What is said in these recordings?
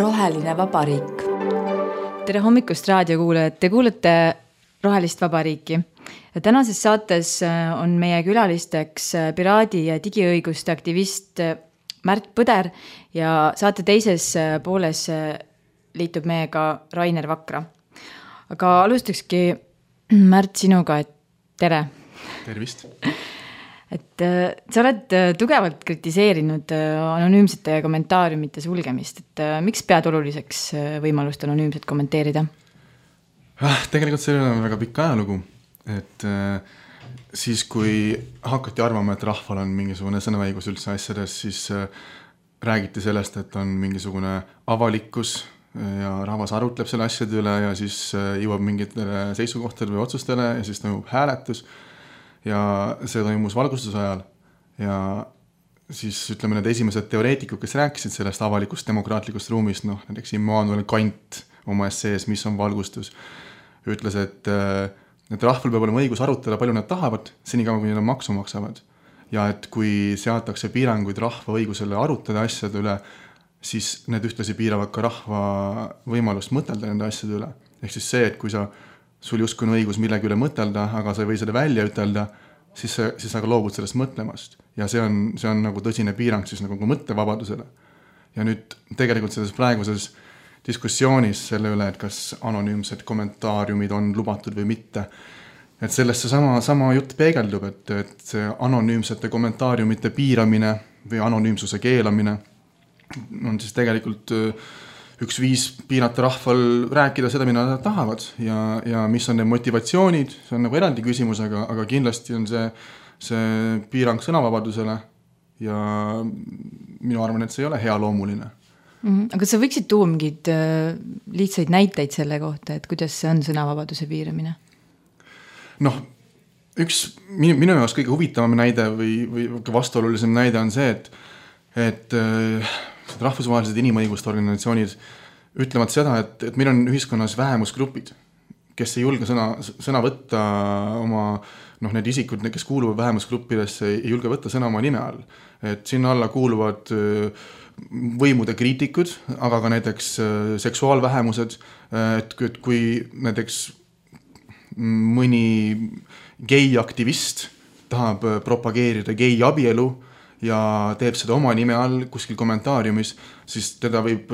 Roheline vabariik. Tere hommikust raadiokuulajad, te kuulete Rohelist vabariiki. Tänases saates on meie külalisteks piraadi ja digiõiguste aktivist Märt Põder ja saate teises pooles liitub meiega Rainer Vakra. Aga alustakski Märt sinuga, et tere. Tervist. Et sa oled tugevalt kritiseerinud anonüümsete kommentaariumite sulgemist, et miks pead oluliseks võimalust anonüümset kommenteerida? Tegelikult see on väga pikk ajalugu, et siis kui hakati arvama, et rahval on mingisugune sõnaõigus üldse asjades, siis räägiti sellest, et on mingisugune avalikkus ja rahvas arutleb selle asjade üle ja siis jõuab mingitele seisukohtadele või otsustele ja siis toimub hääletus. Ja see toimus valgustuse ajal ja siis ütleme need esimesed teoreetikud, kes rääkisid sellest avalikust demokraatlikust ruumist, näiteks Immanuel Kant oma essees, mis on valgustus, ütles, et rahval peab olema õigus arutada, palju nad tahavad, senikaua kui nad maksu maksavad. Ja et kui seatakse piiranguid rahva õigusele arutada asjade üle, siis need ühtlasi piiravad ka rahva võimalust mõtelda nende asjade üle. Ehk siis see, et kui sul justkui on õigus millegi üle mõtelda, aga sa ei või seda välja ütelda, siis sa loobud sellest mõtlemast. Ja see on nagu tõsine piirang siis nagu mõttevabadusele. Ja nüüd tegelikult selles praeguses diskussioonis selle üle, et kas anonüümsed kommentaariumid on lubatud või mitte, et sellest sama jutt peegeldub, et see anonüümsete kommentaariumite piiramine või anonüümsuse keelamine on siis tegelikult üks viis piirata rahval rääkida seda, mida nad tahavad ja mis on need motivatsioonid, see on nagu eraldi küsimus, aga kindlasti on see piirang sõnavabadusele ja minu arvan, et see ei ole hea loomuline. Aga sa võiksid tuua mingid lihtsaid näiteid selle kohta, et kuidas see on sõnavabaduse piiramine? Üks minu jaoks kõige huvitavam näide või vastuolulisem näide on see, et rahvusvahelised inimõiguste organisatsioonid ütlevad seda, et meil on ühiskonnas vähemusgrupid, kes ei julge sõna võtta oma, need isikud, kes kuuluvad vähemusgruppidesse, ei julge võtta sõna oma nime all. Et sinna alla kuuluvad võimude kriitikud, aga ka näiteks seksuaalvähemused, et kui näiteks mõni geiaktivist tahab propageerida geiabielu ja teeb seda oma nime all kuskil kommentaariumis, siis teda võib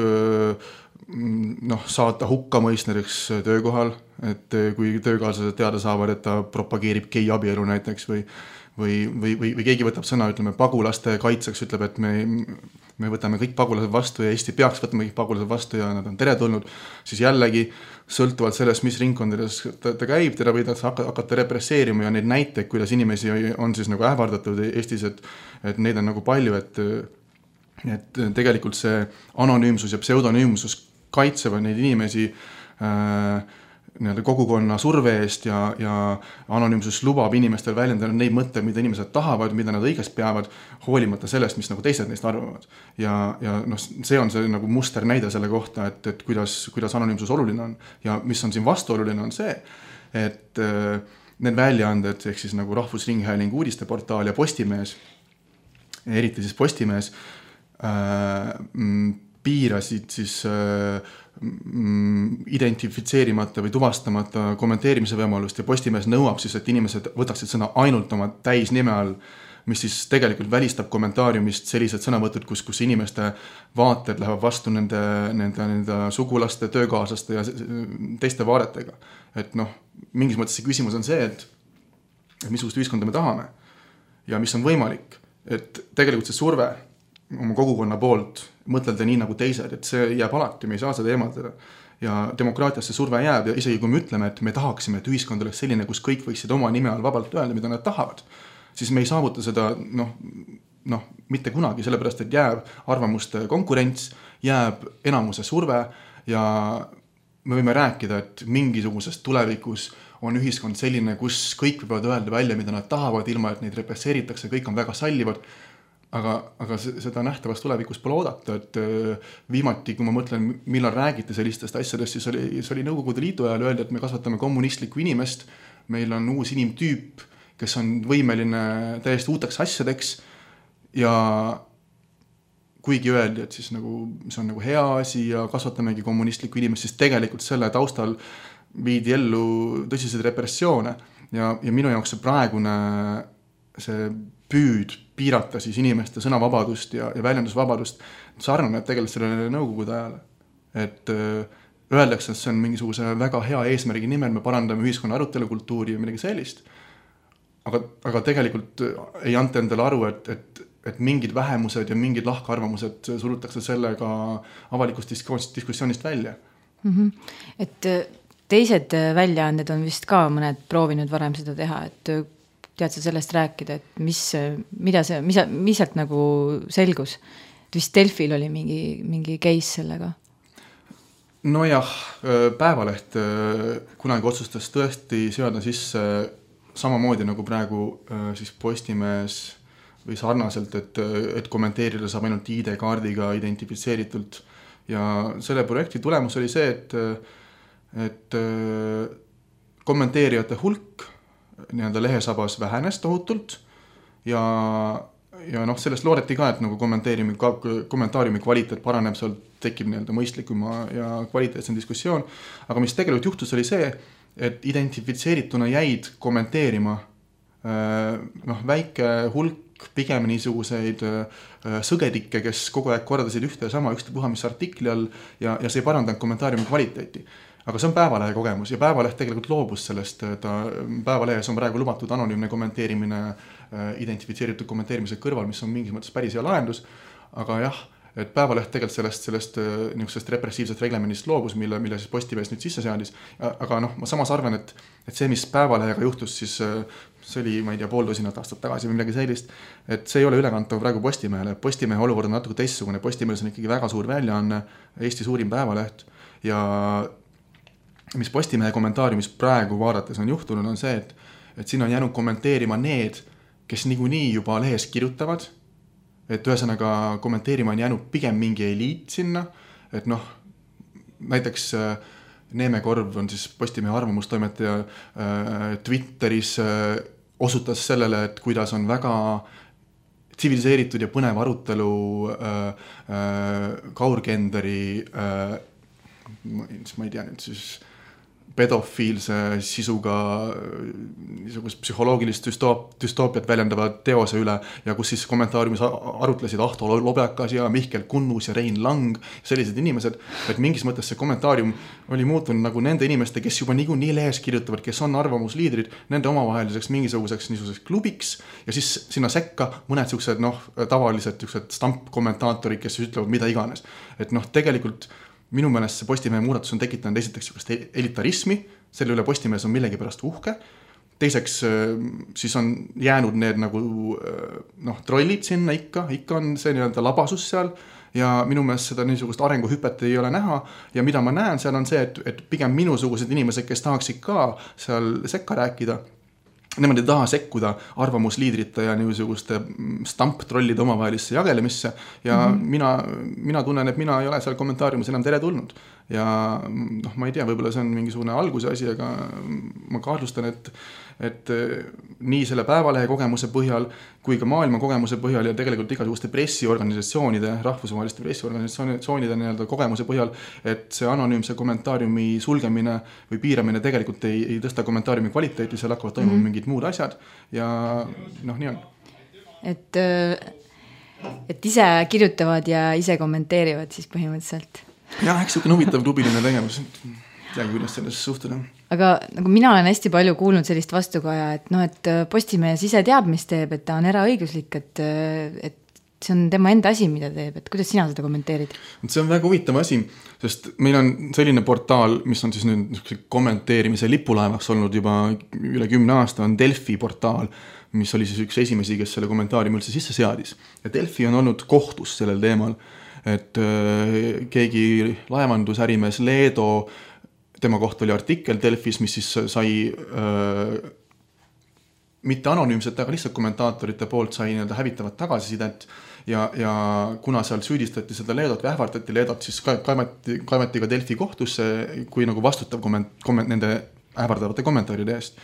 saata hukkamõist näiteks töökohal, et kui töökaaslased teada saavad, et ta propageerib geiabielu näiteks või keegi võtab sõna, ütleme, pagulaste kaitseks, ütleb, et me võtame kõik pagulased vastu ja Eesti peaks võtma kõik pagulased vastu ja nad on teretulnud, siis jällegi sõltuvalt sellest, mis ringkondades ta käib, teda võidakse hakata represseerima ja neid näiteid, kuidas inimesi on siis nagu ähvardatud Eestis, et neid on nagu palju, et tegelikult see anonüümsus ja pseudonüümsus kaitsevad neid inimesi kogukonna surve eest ja anonüümsus lubab inimestel väljendada neid mõtteid, mida inimesed tahavad, mida nad õigest peavad, hoolimata sellest, mis nagu teised neist arvavad. Ja see on see nagu muster näide selle kohta, et kuidas anonüümsus oluline on. Ja mis on siin vastuoluline on see, et need väljaanded, ehk siis nagu Rahvusringhääling uudisteportaal ja Postimees, eriti siis Postimees, piirasid siis identifitseerimata või tuvastamata kommenteerimise võimalust ja Postimees nõuab siis, et inimesed võtaksid sõna ainult oma täisnime all, mis siis tegelikult välistab kommentaariumist sellised sõnavõtud, kus inimeste vaated lähevad vastu nende sugulaste, töökaaslaste ja teiste vaadetega. Et mingis mõttes see küsimus on see, et missugust ühiskonda me tahame ja mis on võimalik, et tegelikult see surve oma kogukonna poolt mõtelda nii nagu teised, et see jääb alati, me ei saa seda eemaldada. Ja demokraatiasse surve jääb ja isegi kui me ütleme, et me tahaksime, et ühiskond oleks selline, kus kõik võiksid oma nime all vabalt öelda, mida nad tahavad, siis me ei saavuta seda mitte kunagi, sellepärast, et jääb arvamuste konkurents, jääb enamuse surve ja me võime rääkida, et mingisugusest tulevikus on ühiskond selline, kus kõik võivad öelda välja, mida nad tahavad, ilma et neid represseeritakse, kõik on väga sallivad. Aga seda nähtavast tulevikus pole oodata, et viimati, kui ma mõtlen, millal räägite sellistest asjadest, siis oli Nõukogude Liidu ajal öelda, et me kasvatame kommunistlikku inimest, meil on uus inimtüüp, kes on võimeline täiesti uuteks asjadeks ja kuigi öeldi, et siis nagu, see on nagu hea asi ja kasvatamegi kommunistlikku inimest, siis tegelikult selle taustal viidi ellu tõsiseid repressioone ja minu jaoks see praegune see püüd piirata siis inimeste sõnavabadust ja väljendusvabadust sarnaneb tegelikult sellele nõukogude ajale. Et öeldakse, et see on mingisuguse väga hea eesmärgi nimel, me parandame ühiskonna arutelukultuuri ja midagi sellist, aga tegelikult ei anta endale aru, et mingid vähemused ja mingid lahkarvamused surutakse sellega avalikust diskussioonist välja. Et teised väljaanded on vist ka mõned proovinud varem seda teha, et tead sa sellest rääkida, et mis sealt nagu selgus? Et vist Delfil oli mingi case sellega? Nojah, Päevaleht kunagi otsustas tõesti seada sisse samamoodi nagu praegu siis Postimees või sarnaselt, et kommenteerida saab ainult ID-kaardiga identifitseeritult. Ja selle projekti tulemus oli see, et kommenteerijate hulk nii-öelda lehesabas vähenes tohutult ja sellest loodeti ka, et nagu kommentaariumi kvaliteet paraneb, seal tekib nii-öelda mõistlikuma ja kvaliteetsem diskussioon. Aga mis tegelikult juhtus oli see, et identifitseerituna jäid kommenteerima väike hulk pigem niisuguseid sõgedikke, kes kogu aeg kordasid ühte ja sama ükstapuha mis artikli all ja see ei parandanud kommentaariumi kvaliteeti. Aga see on Päevalehe kogemus ja Päevaleht tegelikult loobus sellest. Päevalehes on praegu lubatud anonüümne kommenteerimine identifitseeritud kommenteerimise kõrval, mis on mingis mõttes päris hea lahendus. Aga jah, et Päevaleht tegelikult sellest niisugusest repressiivsest reglemendist loobus, mille siis Postimees nüüd sisse seadis. Aga ma samas arvan, et see, mis Päevalehega juhtus, siis see oli, ma ei tea, 1,5 aastat tagasi või midagi sellist, et see ei ole ülekantav praegu Postimehele. Postimehe olukord on natuke teistsugune. Postimees on ikkagi väga suur väljaanne, Eesti suurim päevaleht ja mis Postimehe kommentaariumis praegu vaadates on juhtunud, on see, et siin on jäänud kommenteerima need, kes niikuinii juba lehes kirjutavad, et ühesõnaga kommenteerima on jäänud pigem mingi eliit sinna, et näiteks Neeme Korv on siis Postimehe arvamustoimetaja Twitteris osutas sellele, et kuidas on väga tsiviliseeritud ja põnev arutelu kaurgenderi ma ei tea nüüd siis pedofiilse sisuga niisugust psühholoogilist düstoopiat väljendava teose üle ja kus siis kommentaariumis arutlesid Ahto Lobjakas ja Mihkel Kunnus ja Rein Lang, sellised inimesed, et mingis mõttes see kommentaarium oli muutunud nagu nende inimeste, kes juba nii lehes kirjutavad, kes on arvamusliidrid, nende omavaheliseks niisuguseks klubiks ja siis sinna sekka mõned siuksed tavalised stampkommentaatorid, kes ütlevad mida iganes. Et tegelikult minu meelest see Postimehe muudatus on tekitanud esiteks elitarismi, selle üle Postimees on millegi pärast uhke. Teiseks siis on jäänud need nagu trollid sinna ikka on see nii-öelda labasus seal ja minu meelest seda niisugust arenguhüpet ei ole näha ja mida ma näen seal on see, et pigem minusugused inimesed, kes tahaksid ka seal sekka rääkida, nemad ei taha sekkuda arvamusliidrite ja niisuguste stamptrollide omavahelisse jagelemisse ja mina tunnen, et mina ei ole seal kommentaariumis enam tere tulnud. Ja ma ei tea, võib-olla see on mingisugune alguse asi, aga ma kahtlustan, et nii selle Päevalehe kogemuse põhjal kui ka maailma kogemuse põhjal ja tegelikult igasuguste pressiorganisatsioonide, rahvusvaheliste pressiorganisatsioonide nii-öelda kogemuse põhjal, et see anonüümse kommentaariumi sulgemine või piiramine tegelikult ei tõsta kommentaariumi kvaliteeti, seal hakkavad toimuma mingid muud asjad ja nii on. Et ise kirjutavad ja ise kommenteerivad siis põhimõtteliselt. Jah, eks niisugune huvitav klubiline tegevus, teagi, kuidas sellest suhtuda. Aga nagu mina olen hästi palju kuulnud sellist vastukaja, et Postimees ise teab, mis teeb, et ta on eraõiguslik, et see on tema enda asi, mida teeb, et kuidas sina seda kommenteerid? See on väga huvitav asi, sest meil on selline portaal, mis on siis nüüd kommenteerimise lipulaevaks olnud juba üle 10 aasta, on Delfi portaal, mis oli siis üks esimesi, kes selle kommentaariumi üldse sisse seadis. Ja Delfi on olnud kohtus sellel teemal, et keegi laevandusärimees Leedo, tema kohta oli artikkel Delfis, mis siis sai mitte anonüümsete, aga lihtsalt kommentaatorite poolt sai hävitavat tagasisidet ja kuna seal süüdistati seda Leedot või ähvardati Leedot, siis kaevati ka Delfi kohtusse kui nagu vastutav nende ähvardavate kommentaaride eest.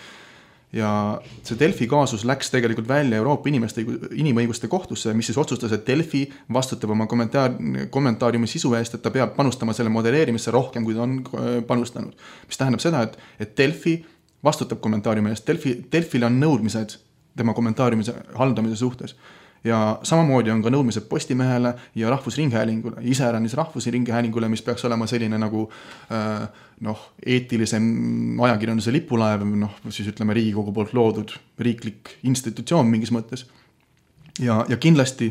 ja see Delfi kaasus läks tegelikult välja Euroopa inimõiguste kohtusse, mis siis otsustas, et Delfi vastutab oma kommentaariumi sisu eest, et ta peab panustama selle modelleerimisse rohkem, kui ta on panustanud. Mis tähendab seda, et Delfi vastutab kommentaariumi eest, Delfil on nõudmised tema kommentaariumise haldamise suhtes. Ja samamoodi on ka nõudmised Postimehele ja Rahvusringhäälingule, iseäranis Rahvusringhäälingule, mis peaks olema selline nagu eetilisem ajakirjanduse lipulaev, siis ütleme Riigikogu poolt loodud riiklik institutsioon mingis mõttes. Ja kindlasti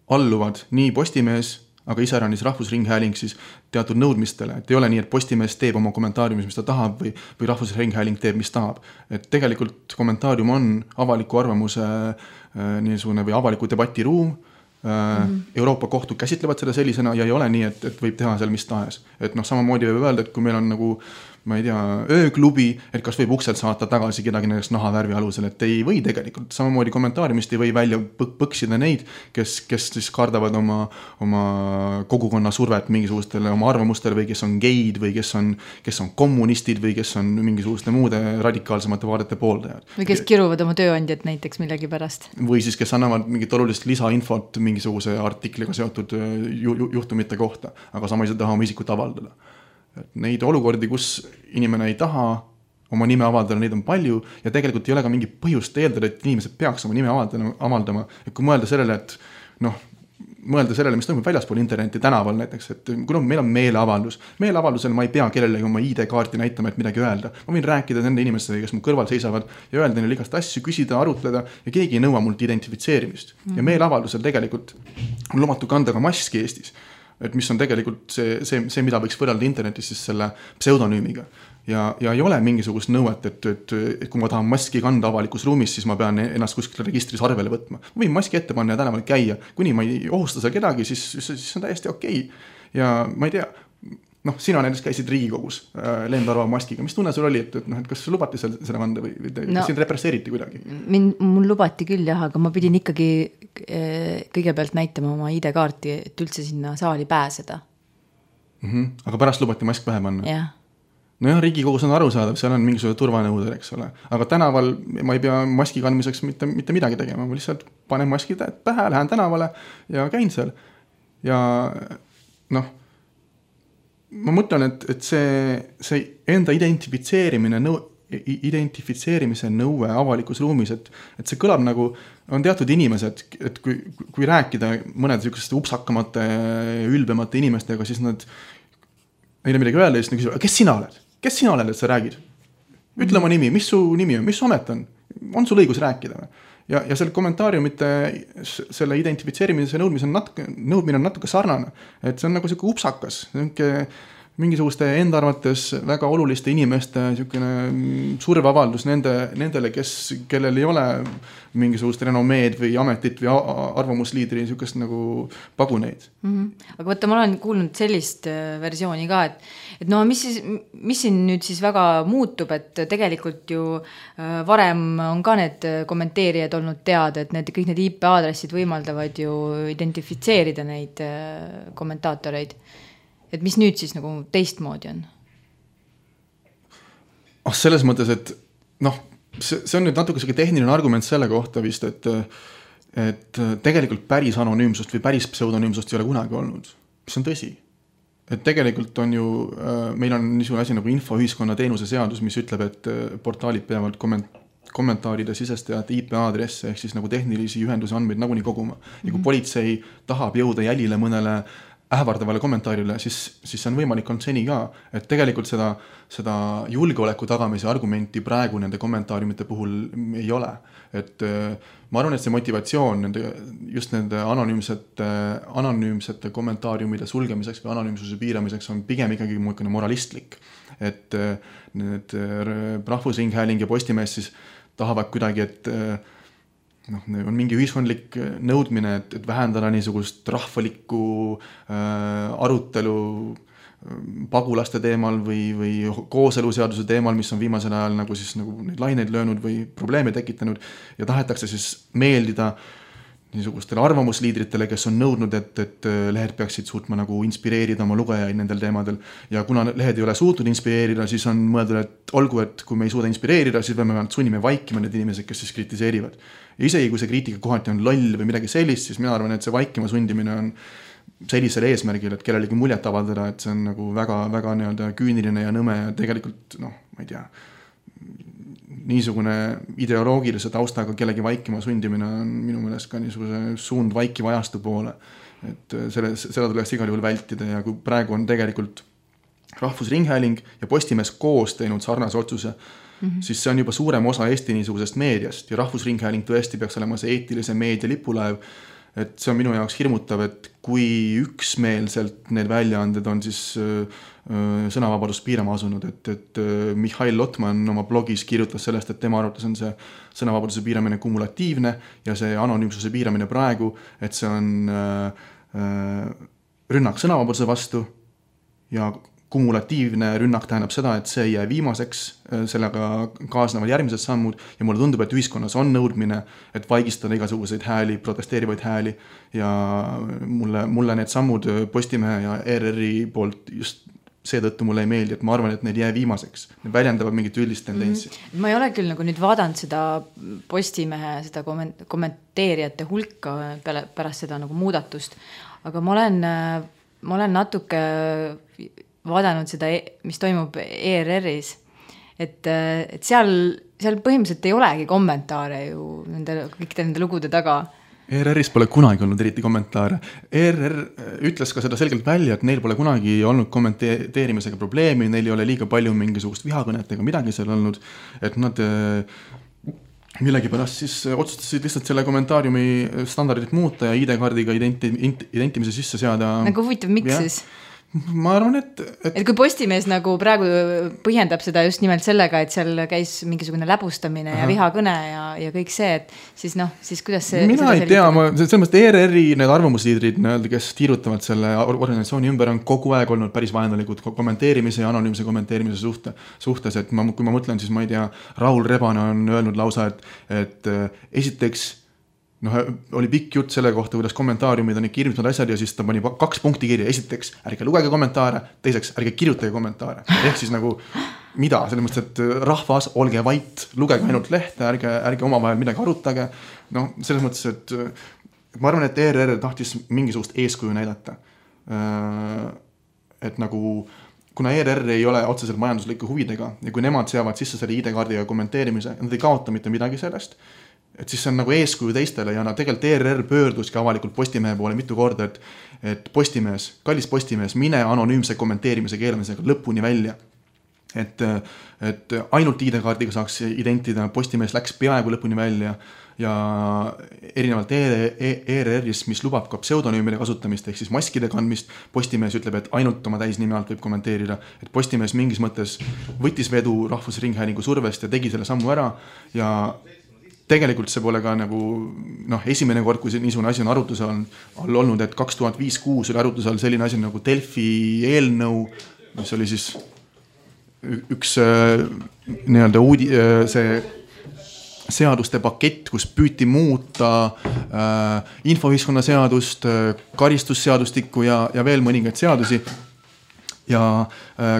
alluvad nii Postimees, aga iseäranis Rahvusringhääling siis teatud nõudmistele, et ei ole nii, et Postimees teeb oma kommentaariumis, mis ta tahab või Rahvusringhääling teeb, mis tahab. Et tegelikult kommentaarium on avaliku arvamuse niisugune või avaliku debati ruum. Euroopa kohtud käsitlevad seda sellisena ja ei ole nii, et võib teha seal mis tahes. Et samamoodi võib öelda, et kui meil on nagu, ma ei tea, ööklubi, et kas võib ukselt saata tagasi kedagi näiteks nahavärvi alusel, et ei või tegelikult. Samamoodi kommentaariumist ei või välja põksida neid, kes siis kardavad oma kogukonna survet mingisugustele oma arvamustele või kes on geid või kes on kommunistid või kes on mingisuguste muude radikaalsemate vaadete pooldajad. Või kes kiruvad oma tööandjad näiteks millegi pärast. Või siis kes annavad mingit olulist lisainfot mingisuguse artikliga seotud juhtumite kohta, aga sama ei taha oma isikut avaldada. Neid olukordi, kus inimene ei taha oma nime avaldada, neid on palju ja tegelikult ei ole ka mingi põhjust eeldada, et inimesed peaks oma nime avaldama. Et kui mõelda sellele, mis toimub väljaspool interneti tänaval näiteks, et kui meil on meeleavaldus. Meeleavaldusel ma ei pea kellelegi oma ID-kaarti näitama, et midagi öelda. Ma võin rääkida nende inimestega, kes mu kõrval seisavad ja öelda neile igast asju, küsida, arutleda ja keegi ei nõua mult identifitseerimist. Ja meeleavaldusel tegelikult on lubatud kanda ka maski Eestis. Et mis on tegelikult see, mida võiks võrrelda internetis siis selle pseudonüümiga. Ja ei ole mingisugust nõuet, et kui ma tahan maski kanda avalikus ruumis, siis ma pean ennast kuskil registris arvele võtma. Ma võin maski ette panna ja tänaval käia. Kuni ma ei ohusta seal kedagi, siis on täiesti okei. Ja ma ei tea, sina näiteks käisid Riigikogus lendarva maskiga. Mis tunne sul oli, et kas lubati selle kanda või sind represseeriti kuidagi? Mul lubati küll jah, aga ma pidin ikkagi kõigepealt näitama oma ID-kaarti, et üldse sinna saali pääseda. Aga pärast lubati mask pähe panna? Jah. Nojah, Riigikogus on arusaadav, seal on mingisugune turvanõudel, eks ole. Aga tänaval ma ei pea maski kandmiseks mitte midagi tegema. Ma lihtsalt panen maski pähe, lähen tänavale ja käin seal. Ja ma mõtlen, et see enda identifitseerimise nõue avalikus ruumis, et see kõlab nagu, on teatud inimesed, et kui rääkida mõned selliseste upsakamate, ülbemate inimestega, siis neile midagi öelda ja siis küsivad, kes sina oled? Kes sina oled, et sa räägid? Ütle oma nimi, mis su nimi on, mis su amet on? On sul õigus rääkida? Ja selle kommentaariumite, selle identifitseerimise nõudmine on natuke sarnane. Et see on nagu selline upsakas, mingisuguste enda arvates väga oluliste inimeste surveavaldus nendele, kellel ei ole mingisugust renomeed või ametit või arvamusliidri niisugust nagu paguneid. Aga võtta, ma olen kuulnud sellist versiooni ka, et mis siin nüüd siis väga muutub, et tegelikult ju varem on ka need kommenteerijad olnud teada, et kõik need IP-aadressid võimaldavad ju identifitseerida neid kommentaatoreid. Et mis nüüd siis nagu teistmoodi on? Selles mõttes, et see on nüüd natuke selline tehniline argument selle kohta vist, et tegelikult päris anonüümsust või päris pseudonüümsust ei ole kunagi olnud. See on tõsi. Et tegelikult on ju, meil on niisugune asi nagu infoühiskonna teenuse seadus, mis ütleb, et portaalid peavad kommentaaride sisestajate IP-aadresse ehk siis nagu tehnilisi ühenduse andmeid nagunii koguma. Ja kui politsei tahab jõuda jälile mõnele ähvardavale kommentaarile, siis see on võimalik olnud seni ka, et tegelikult seda julgeoleku tagamise argumenti praegu nende kommentaariumite puhul ei ole. Et ma arvan, et see motivatsioon just nende anonüümsete kommentaariumide sulgemiseks või anonüümsuse piiramiseks on pigem ikkagi moralistlik. Et need Rahvusringhääling ja Postimees siis tahavad kuidagi, et on mingi ühiskondlik nõudmine, et vähendada niisugust rahvalikku arutelu pagulaste teemal või kooseluseaduse teemal, mis on viimasel ajal neid laineid löönud või probleeme tekitanud ja tahetakse siis meeldida niisugustele arvamusliidritele, kes on nõudnud, et lehed peaksid suutma nagu inspireerida oma lugejaid nendel teemadel. Ja kuna lehed ei ole suutnud inspireerida, siis on mõeldud, et olgu, et kui me ei suuda inspireerida, siis peame sunnime vaikima need inimesed, kes siis kritiseerivad. Ja isegi kui see kriitika kohati on loll või midagi sellist, siis mina arvan, et see vaikima sundimine on sellisel eesmärgil, et kellelegi muljet avaldada, et see on nagu väga, väga nii-öelda küüniline ja nõme ja tegelikult, noh, ma ei tea, niisugune ideoloogilise taustaga kellegi vaikima sundimine on minu meelest ka niisuguse suund vaikiva ajastu poole. Et seda tuleks igal juhul vältida ja kui praegu on tegelikult Rahvusringhääling ja Postimees koos teinud sarnase otsuse, siis see on juba suurem osa Eesti niisugusest meediast ja Rahvusringhääling tõesti peaks olema see eetilise meedia lipulaev. Et see on minu jaoks hirmutav, et kui üksmeelselt need väljaanded on siis sõnavabadust piirama asunud, et Mihhail Lotman oma blogis kirjutas sellest, et tema arvates on see sõnavabaduse piiramine kumulatiivne ja see anonüümsuse piiramine praegu, et see on rünnak sõnavabaduse vastu ja kumulatiivne rünnak tähendab seda, et see ei jää viimaseks, sellega kaasnevad järgmised sammud ja mulle tundub, et ühiskonnas on nõudmine, et vaigistada igasuguseid hääli, protesteerivaid hääli ja mulle need sammud Postimehe ja ERR-i poolt just seetõttu mulle ei meeldi, et ma arvan, et need jää viimaseks. Need väljendavad mingit üldist tendentsi. Ma ei ole küll nagu nüüd vaadanud seda Postimehe, seda kommenteerijate hulka pärast seda nagu muudatust, aga ma olen natuke vaadanud seda, mis toimub ERR-is, et seal põhimõtteliselt ei olegi kommentaare ju kõikide nende lugude taga. ERR-is pole kunagi olnud eriti kommentaare. ERR ütles ka seda selgelt välja, et neil pole kunagi olnud kommenteerimisega probleemi, neil ei ole liiga palju mingisugust vihakõnet ega midagi seal olnud, et nad millegipärast siis otsustasid lihtsalt selle kommentaariumi standardit muuta ja ID-kaardiga identimise sisse seada. Nagu huvitav, miks siis? Ma arvan, et kui Postimees nagu praegu põhjendab seda just nimelt sellega, et seal käis mingisugune läbustamine ja vihakõne ja kõik see, et siis kuidas see... Mina ei tea, selles mõttes ERR-i need arvamusliidrid, kes tiirutavad selle organisatsiooni ümber, on kogu aeg olnud päris vaenulikud kommenteerimise ja anonüümse kommenteerimise suhtes, et kui ma mõtlen, siis ma ei tea, Raul Rebane on öelnud lausa, et esiteks oli pikk jutt selle kohta, kuidas kommentaariumid on kirjutanud asjad ja siis ta pani 2 punkti kirja. Esiteks, ärge lugege kommentaare, teiseks, ärge kirjutage kommentaare. Ehk siis nagu, mida? Selles mõttes, et rahvas, olge vait, lugege ainult lehte, ärge omavahel midagi arutage. Selles mõttes, et ma arvan, et ERR tahtis mingisugust eeskuju näidata. Et nagu, kuna ERR ei ole otseselt majanduslike huvidega ja kui nemad seavad sisse selle ID-kaardiga kommenteerimise, nad ei kaota mitte midagi sellest, et siis see on nagu eeskuju teistele ja tegelikult ERR pöörduski avalikult Postimehe poole mitu korda, et Postimees, kallis Postimees, mine anonüümse kommenteerimise keelamisega lõpuni välja. Et ainult ID-kaardiga saaks identida, Postimees läks peaaegu lõpuni välja ja erinevalt ERR-is, mis lubab ka pseudonüümide kasutamist ehk siis maskide kandmist, Postimees ütleb, et ainult oma täisnime alt võib kommenteerida, et Postimees mingis mõttes võttis vedu Rahvusringhäälingu survest ja tegi selle sammu ära ja tegelikult see pole ka nagu esimene kord, kui niisugune asi on arutluse all olnud, et 2005-2006 oli arutluse all selline asi nagu Delfi eelnõu, mis oli siis üks nii-öelda see seaduste pakett, kus püüti muuta infoühiskonna seadust, karistusseadustikku ja veel mõningaid seadusi ja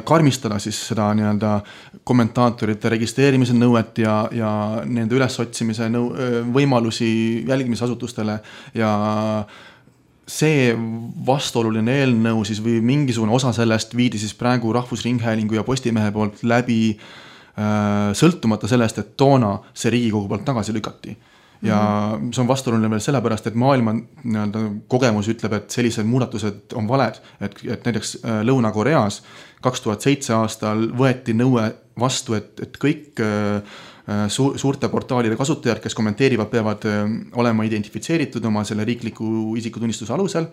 karmistada siis seda nii-öelda kommentaatorite registreerimise nõuet ja nende ülesotsimise võimalusi jälgimisasutustele ja see vastuoluline eelnõu siis või mingisugune osa sellest viidi siis praegu Rahvusringhäälingu ja Postimehe poolt läbi sõltumata sellest, et toona see Riigikogu poolt tagasi lükati. Ja see on vastuoluline veel sellepärast, et maailma kogemus ütleb, et sellised muudatused on valed, et näiteks Lõuna-Koreas 2007 aastal võeti nõue vastu, et kõik suurte portaalide kasutajad, kes kommenteerivad, peavad olema identifitseeritud oma selle riikliku isikutunnistuse alusel.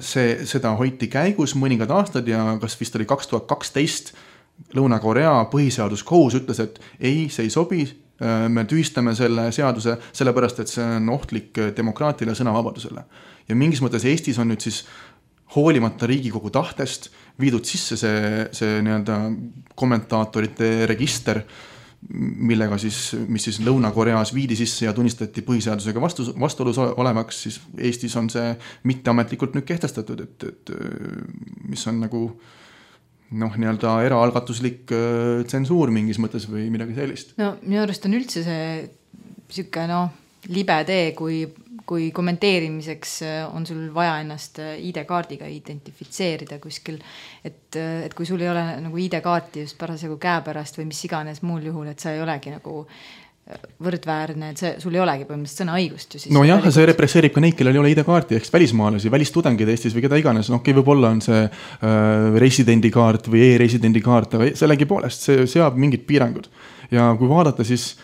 Seda hoiti käigus mõningad aastad ja kas vist oli 2012 Lõuna-Korea põhiseaduskohus ütles, et ei, see ei sobi, me tühistame selle seaduse sellepärast, et see on ohtlik demokraatile sõnavabadusele. Ja mingis mõttes Eestis on nüüd siis hoolimata Riigikogu tahtest viidud sisse see nii-öelda kommentaatorite register, millega mis siis Lõuna-Koreas viidi sisse ja tunnistati põhiseadusega vastuolus olevaks, siis Eestis on see mitteametlikult nüüd kehtestatud, et mis on nagu nii-öelda eraalgatuslik tsensuur mingis mõttes või midagi sellist. No minu arust on üldse see siuke libe tee, kui kommenteerimiseks on sul vaja ennast ID-kaardiga identifitseerida kuskil, et kui sul ei ole nagu ID-kaarti just parasjagu käepärast või mis iganes muul juhul, et sa ei olegi nagu võrdväärne, et sul ei olegi põhimõtteliselt sõnaõigust ju siis. No jah, see represseerib ka neid, kellel ei ole ID-kaarti, ehk välismaalasi, välistudengid Eestis või keda iganes, võib-olla on see residendikaart või e-residendikaart, aga sellegi poolest see seab mingid piirangud. Ja kui vaadata, siis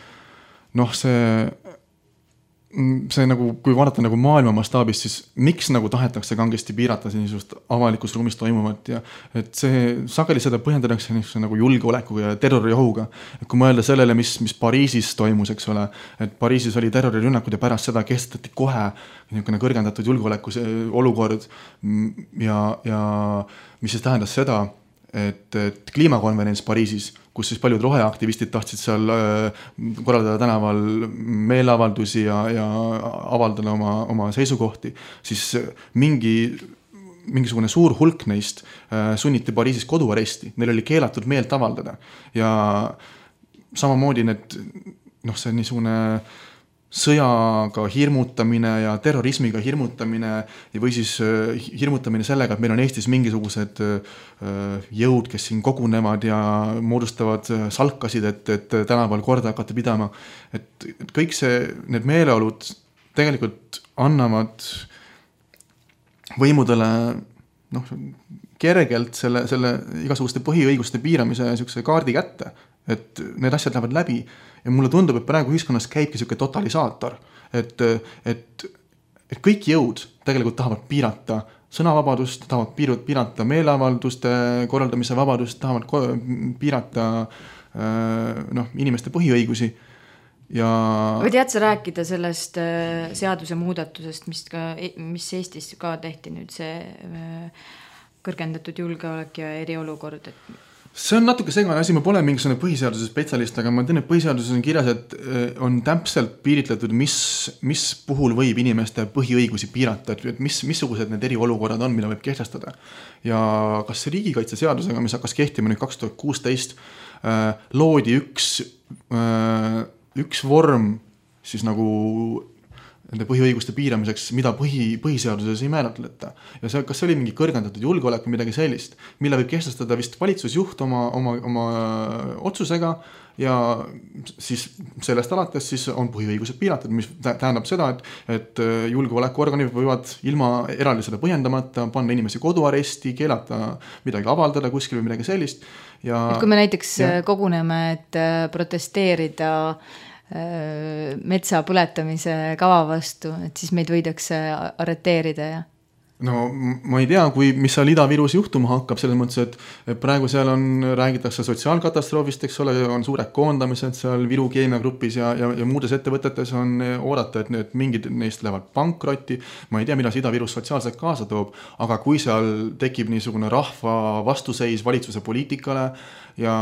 see nagu, kui vaadata nagu maailma mastaabis, siis miks nagu tahetakse kangesti piirata niisugust avalikus ruumis toimuvat ja et see sageli seda põhjendatakse nagu julgeolekuga ja terroriohuga. Et kui mõelda sellele, mis Pariisis toimus, eks ole, et Pariisis oli terrorirünnakud ja pärast seda kehtestati kohe niisugune kõrgendatud julgeoleku olukord ja mis siis tähendas seda, et kliimakonverents Pariisis, kus siis paljud roheaktivistid tahtsid seal korraldada tänaval meeleavaldusi ja avaldada oma seisukohti, siis mingisugune suur hulk neist sunniti Pariisis koduaresti. Neil oli keelatud meelt avaldada. Ja samamoodi see niisugune sõjaga hirmutamine ja terrorismiga hirmutamine või siis hirmutamine sellega, et meil on Eestis mingisugused jõud, kes siin kogunevad ja moodustavad salkasid, et tänaval korda hakata pidama. Et kõik need meeleolud tegelikult annavad võimudele kergelt selle igasuguste põhiõiguste piiramise niisuguse kaardi kätte, et need asjad lähevad läbi. Ja mulle tundub, et praegu ühiskonnas käibki siuke totalisaator, et kõik jõud tegelikult tahavad piirata sõnavabadust, tahavad piirata meeleavalduste korraldamise vabadust, tahavad piirata inimeste põhiõigusi. Ja või tead sa rääkida sellest seaduse muudatusest, mis Eestis ka tehti nüüd see kõrgendatud julgeolek ja eriolukord, et see on natuke segane asi, ma pole mingisugune põhiseaduse spetsialist, aga ma tean, et põhiseaduses on kirjas, et on täpselt piiritletud, mis puhul võib inimeste põhiõigusi piirata, et missugused need eriolukorrad on, mida võib kehtestada. Ja kas see riigikaitseseadusega, mis hakkas kehtima nüüd 2016, loodi üks vorm siis nagu nende põhiõiguste piiramiseks, mida põhiseaduses ei määratleta. Ja kas see oli mingi kõrgendatud julgeolek või midagi sellist, mille võib kehtestada vist valitsusjuht oma otsusega ja siis sellest alates siis on põhiõigused piiratud, mis tähendab seda, et julgeolekuorganid võivad ilma eraldi seda põhjendamata panna inimesi koduaresti, keelata midagi avaldada kuskil või midagi sellist. Ja et kui me näiteks koguneme, et protesteerida metsa põletamise kava vastu, et siis meid võidakse arreteerida ja no ma ei tea, mis seal Ida-Virus juhtuma hakkab, selles mõttes, et praegu seal räägitakse sotsiaalkatastroofist, eks ole, on suured koondamised seal Viru keemiagrupis ja muudes ettevõtetes on oodata, et mingid neist lähevad pankrotti. Ma ei tea, mida see Ida-Virus sotsiaalselt kaasa toob, aga kui seal tekib niisugune rahva vastuseis valitsuse poliitikale ja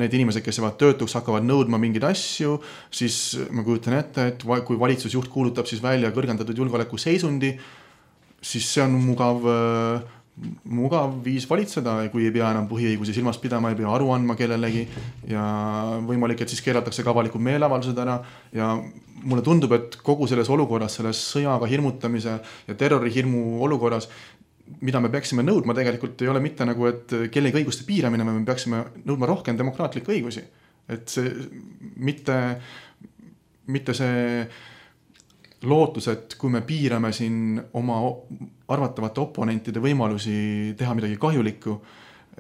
need inimesed, kes jäävad töötuks, hakkavad nõudma mingeid asju, siis ma kujutan ette, et kui valitsusjuht kuulutab siis välja kõrgendatud julgeoleku seisundi, siis see on mugav viis valitseda, kui ei pea enam põhiõigusi silmas pidama, ei pea aru andma kellelegi ja võimalik, et siis keelatakse ka avalikud meeleavaldused ära ja mulle tundub, et kogu selles olukorras, selles sõjaga hirmutamise ja terrorihirmu olukorras, mida me peaksime nõudma tegelikult ei ole mitte nagu, et kellegi õiguste piiramine, me peaksime nõudma rohkem demokraatlikke õigusi. Et see mitte see lootus, et kui me piirame siin oma arvatavate oponentide võimalusi teha midagi kahjulikku,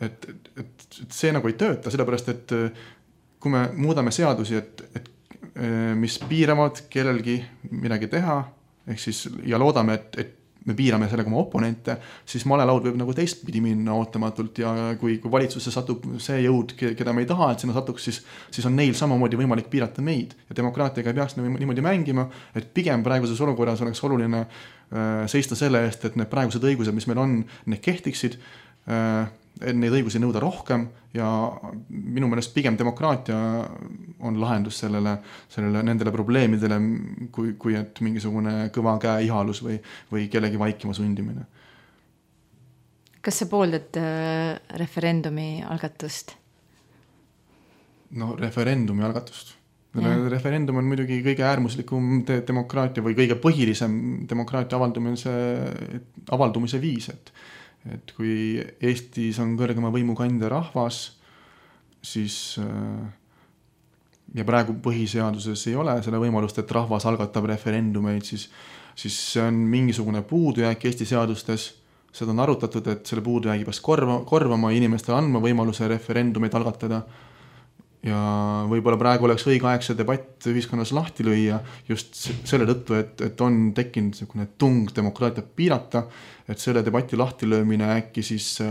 et see nagu ei tööta, sellepärast, et kui me muudame seadusi, mis piiravad kellelgi midagi teha, ehk siis ja loodame, et me piirame sellega oma oponente, siis malelaud võib nagu teistpidi minna ootamatult ja kui valitsusse satub see jõud, keda me ei taha, et sinna satuks, siis on neil samamoodi võimalik piirata meid ja demokraatiaga ei peaks niimoodi mängima, et pigem praeguses olukorras oleks oluline seista selle eest, et need praegused õigused, mis meil on, need kehtiksid neid õigusi nõuda rohkem ja minu meelest pigem demokraatia on lahendus nendele probleemidele, kui et mingisugune kõva käe ihalus või kellegi vaikima sundimine. Kas sa pooldad referendumi algatust? No referendumi algatust. Referendum on muidugi kõige äärmuslikum demokraatia või kõige põhilisem demokraatia avaldumise viis, et kui Eestis on kõrgema võimu kandja rahvas, siis ja praegu põhiseaduses ei ole selle võimalust, et rahvas algatab referendumeid, siis see on mingisugune puudujääk Eesti seadustes. Seda on arutatud, et selle puudujäägi peaks korvama inimestele andma võimaluse referendumeid algatada. Ja võib-olla praegu oleks õige aeg see debatt ühiskonnas lahti lüüa just selle tõttu, et on tekkinud selline tung demokraatiat piirata, et selle debati lahti löömine äkki siis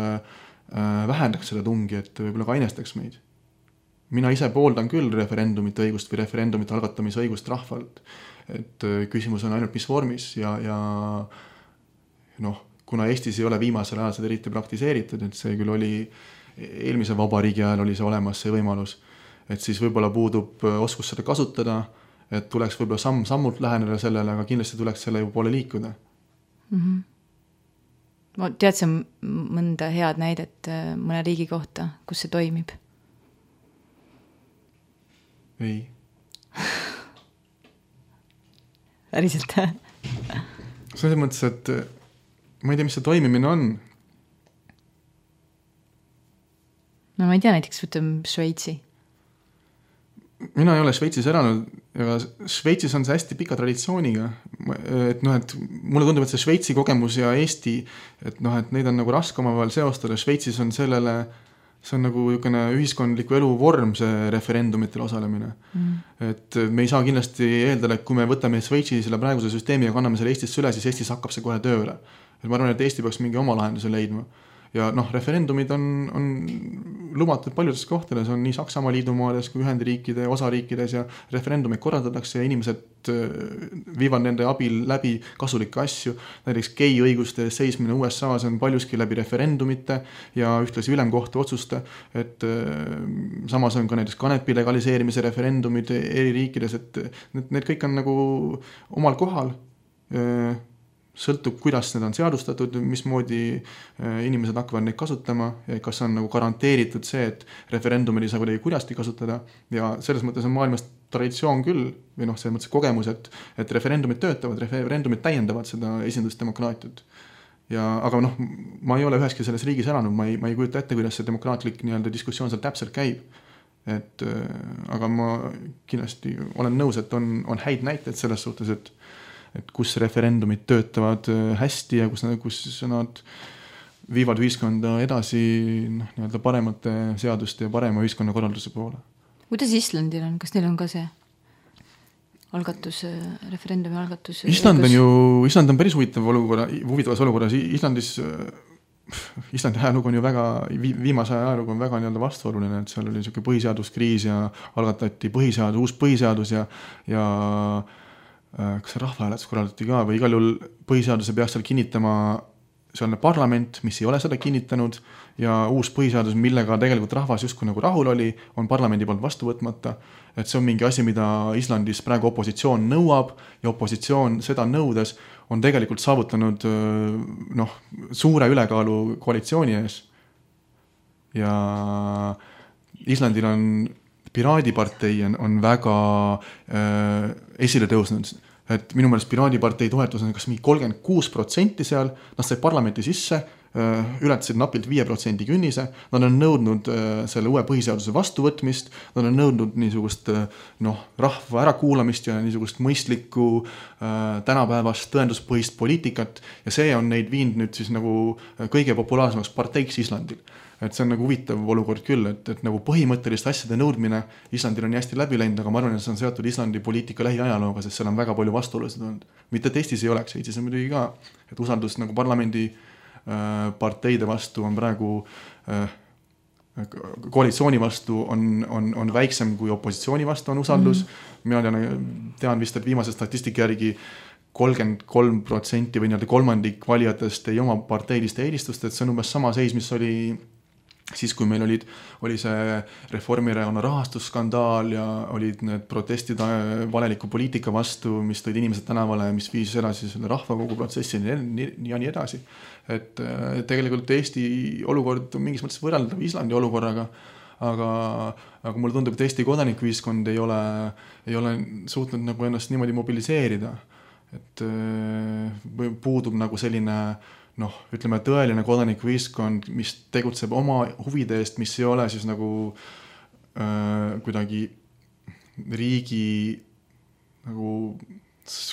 vähendaks selle tungi, et võib-olla kainestaks meid. Mina ise pooldan küll referendumite õigust või referendumite algatamise õigust rahvalt, et küsimus on ainult mis vormis ja kuna Eestis ei ole viimasel ajal seda eriti praktiseeritud, et see küll oli eelmise vabariigi ajal oli see olemas see võimalus, et siis võib-olla puudub oskus seda kasutada, et tuleks võib-olla sammult läheneda sellele, aga kindlasti tuleks selle ju poole liikuda. Tead sa mõnda head näidet mõne riigi kohta, kus see toimib? Ei. Päriselt? Selles mõttes, et ma ei tea, mis see toimimine on. No ma ei tea, näiteks võtame Šveitsi. Mina ei ole Šveitsis elanud, aga Šveitsis on see hästi pika traditsiooniga, et mulle tundub, et see Šveitsi kogemus ja Eesti, et neid on nagu raske omavahel seostada. Šveitsis on see on nagu ühiskondliku elu vorm, see referendumitel osalemine. Et me ei saa kindlasti eeldada, et kui me võtame Šveitsi selle praeguse süsteemi ja kanname selle Eestisse üle, siis Eestis hakkab see kohe tööle. Et ma arvan, et Eesti peaks mingi oma lahenduse leidma. Ja referendumid on lubatud paljudes kohtades, on nii Saksamaa liidumaades kui Ühendriikide osariikides ja referendumid korraldatakse ja inimesed viivad nende abil läbi kasulikke asju. Näiteks gei õiguste seismine USA-s on paljuski läbi referendumite ja ühtlasi ülemkohtu otsuste, et samas on ka näiteks kanepi legaliseerimise referendumid eri riikides, et need kõik on nagu omal kohal. Sõltub, kuidas need on seadustatud, mismoodi inimesed hakkavad neid kasutama ja kas on nagu garanteeritud see, et referendumid ei saa kuidagi kurjasti kasutada ja selles mõttes on maailmas traditsioon küll või selles mõttes kogemus, et referendumid töötavad, referendumid täiendavad seda esindusdemokraatiat. Aga ma ei ole üheski selles riigis elanud, ma ei kujuta ette, kuidas see demokraatlik diskussioon seal täpselt käib. Aga ma kindlasti olen nõus, et on häid näiteid selles suhtes, et kus referendumid töötavad hästi ja kus nad viivad ühiskonda edasi paremate seaduste ja parema ühiskonnakorralduse poole. Kuidas Islandil on? Kas neil on ka see algatus, referendumi algatus? Island on päris huvitavas olukorras. Islandi ajalugu on ju väga, viimase ajalugu on väga vastuoluline, et seal oli selline põhiseaduskriis ja algatati uus põhiseadus ja kas see rahvahääletus korraldati ka või igal juhul põhiseaduse peaks seal kinnitama sealne parlament, mis ei ole seda kinnitanud ja uus põhiseadus, millega tegelikult rahvas justkui nagu rahul oli, on parlamendi poolt vastu võtmata. Et see on mingi asi, mida Islandis praegu opositsioon nõuab ja opositsioon seda nõudes on tegelikult saavutanud suure ülekaalu koalitsiooni ees. Ja Islandil on Piraadipartei on väga esile tõusnud, et minu meelest Piraadipartei toetus on kas mingi 36% seal, nad sai parlamenti sisse, ületasid napilt 5% künnise, nad on nõudnud selle uue põhiseaduse vastuvõtmist, nad on nõudnud niisugust rahva ärakuulamist ja niisugust mõistlikku tänapäevast tõenduspõhist poliitikat ja see on neid viinud nüüd siis nagu kõige populaarsemaks parteiks Islandil. Et see on nagu huvitav olukord küll, et nagu põhimõttelist asjade nõudmine Islandil on hästi läbi läinud, aga ma arvan, et see on seotud Islandi poliitika lähiajalooga, sest seal on väga palju vastuolusid olnud. Mitte et Eestis ei oleks, Eestis on muidugi ka, et usaldus nagu parlamendi parteide vastu on praegu koalitsiooni vastu on väiksem kui opositsiooni vastu on usaldus. Mina tean vist, et viimase statistika järgi 33% või kolmandik valijatest ei oma parteiliste eelistust, et see on umbes sama seis, mis oli siis kui meil oli see Reformierakonna rahastusskandaal ja olid need protestid valeliku poliitika vastu, mis tõid inimesed tänavale, mis viis edasi selle rahvakogu protsessini ja nii edasi. Et tegelikult Eesti olukord on mingis mõttes võrreldav Islandi olukorraga, aga mulle tundub, et Eesti kodanikuühiskond ei ole suutnud nagu ennast niimoodi mobiliseerida. Et puudub nagu selline ütleme tõeline kodanikuühiskond, mis tegutseb oma huvide eest, mis ei ole siis nagu kuidagi riigi nagu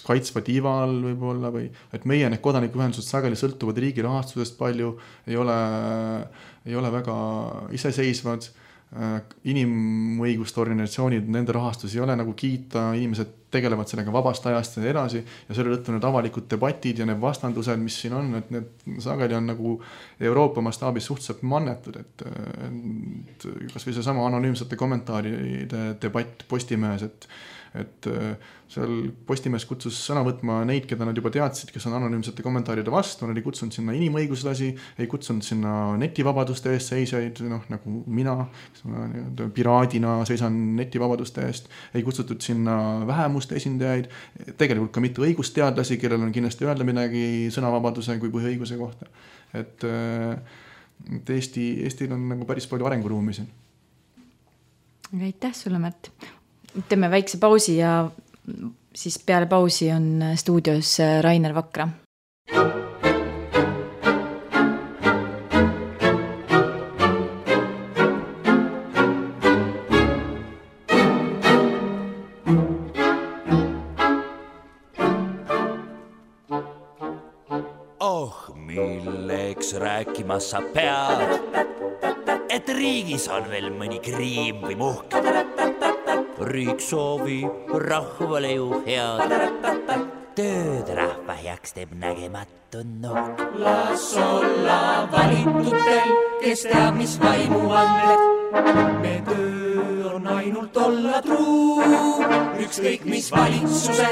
kaitsva tiiva all võib-olla või et meie need kodanikuühendused sageli sõltuvad riigi rahastusest palju, ei ole väga iseseisvad, inimõiguste organisatsioonid, nende rahastus ei ole nagu kiita, inimesed tegelevad sellega vabast ajast ja edasi ja selle tõttu need avalikud debatid ja need vastandused, mis siin on, et need sageli on nagu Euroopa mastaabis suhteliselt mannetud, et kas või see sama anonüümsete kommentaaride debatt Postimehes, et seal Postimees kutsus sõna võtma neid, keda nad juba teadsid, kes on anonüümsete kommentaaride vastu, nad ei kutsunud sinna inimõiguslasi, ei kutsunud sinna netivabaduste eest seisaid, nagu mina, piraadina seisan netivabaduste eest, ei kutsutud sinna vähemuste esindajaid, tegelikult ka mitte õigusteadlasi, kellel on kindlasti öelda midagi sõnavabaduse kui põhiõiguse kohta. Et Eestil on nagu päris palju arenguruumi siin. Aitäh sulle, Märt. Teeme väikse pausi ja siis peale pausi on stuudios Rainer Vakra. Milleks rääkimas sa pead, et riigis on veel mõni kriim või muhk. Riik soovib rahvale ju head, tööd rahva heaks teeb nägematu nuhk. Las olla valitutel, kes teab, mis vaimu anded. Me töö on ainult olla truu, ükskõik mis valitsuse,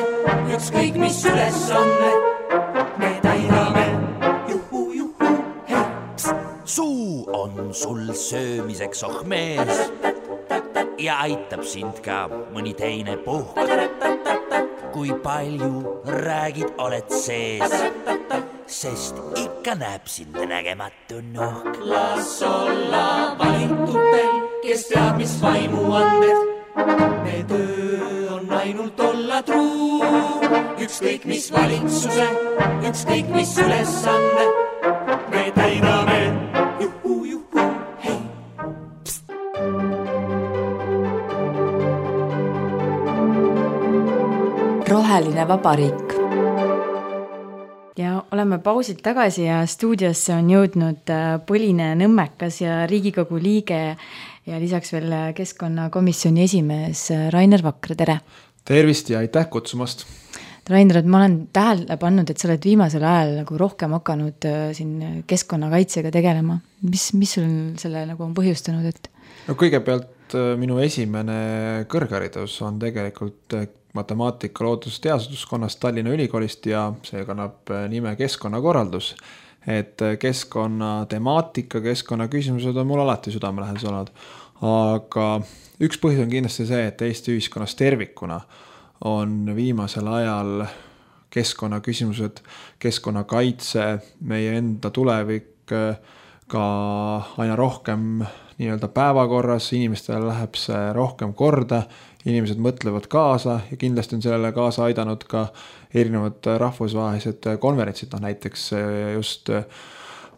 ükskõik mis ülesanne. Me täidame suu on sul söömiseks ohmees ja aitab sind ka mõni teine puhk. Kui palju räägid, oled sees, sest ikka näeb sind nägematu nuhk. Las olla valitutel, kes teab, mis vaimu anded. Me töö on ainult olla truu, ükskõik mis valitsuse, ükskõik mis ülesanne. Me täidame Roheline vabariik. Ja oleme pausilt tagasi ja stuudiosse on jõudnud Põline Nõmmekas ja Riigikogu liige ja lisaks veel keskkonnakomisjoni esimees Rainer Vakra, tere! Tervist ja aitäh kutsumast! Rainer, ma olen tähele pannud, et sa oled viimasel ajal nagu rohkem hakanud siin keskkonnakaitsega tegelema. Mis sul selle nagu on põhjustanud? Et... No, kõigepealt minu esimene kõrgharidus on tegelikult matemaatika loodusteaduskonnast Tallinna Ülikoolist ja see kannab nime keskkonnakorraldus. Et keskkonna temaatika, keskkonna küsimused on mul alati südamelähedased olnud. Aga üks põhjus on kindlasti see, et Eesti ühiskonnas tervikuna on viimasel ajal keskkonnaküsimused, keskkonnakaitse, meie enda tulevik ka aina rohkem nii-öelda päevakorras, inimestele läheb see rohkem korda, inimesed mõtlevad kaasa ja kindlasti on sellele kaasa aidanud ka erinevad rahvusvahelised konverentsid, näiteks just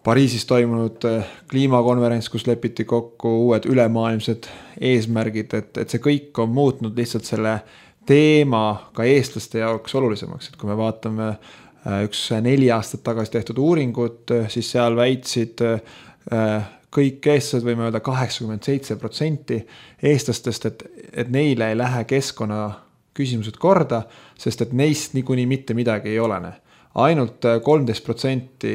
Pariisis toimunud kliimakonverents, kus lepiti kokku uued ülemaailmsed eesmärgid, et see kõik on muutnud lihtsalt selle teema ka eestlaste jaoks olulisemaks, et kui me vaatame üks 4 aastat tagasi tehtud uuringut, siis seal väitsid kõik eestlased, võime öelda 87% eestlastest, et neile ei lähe keskkonna küsimused korda, sest et neist niikuinii mitte midagi ei olene. Ainult 13%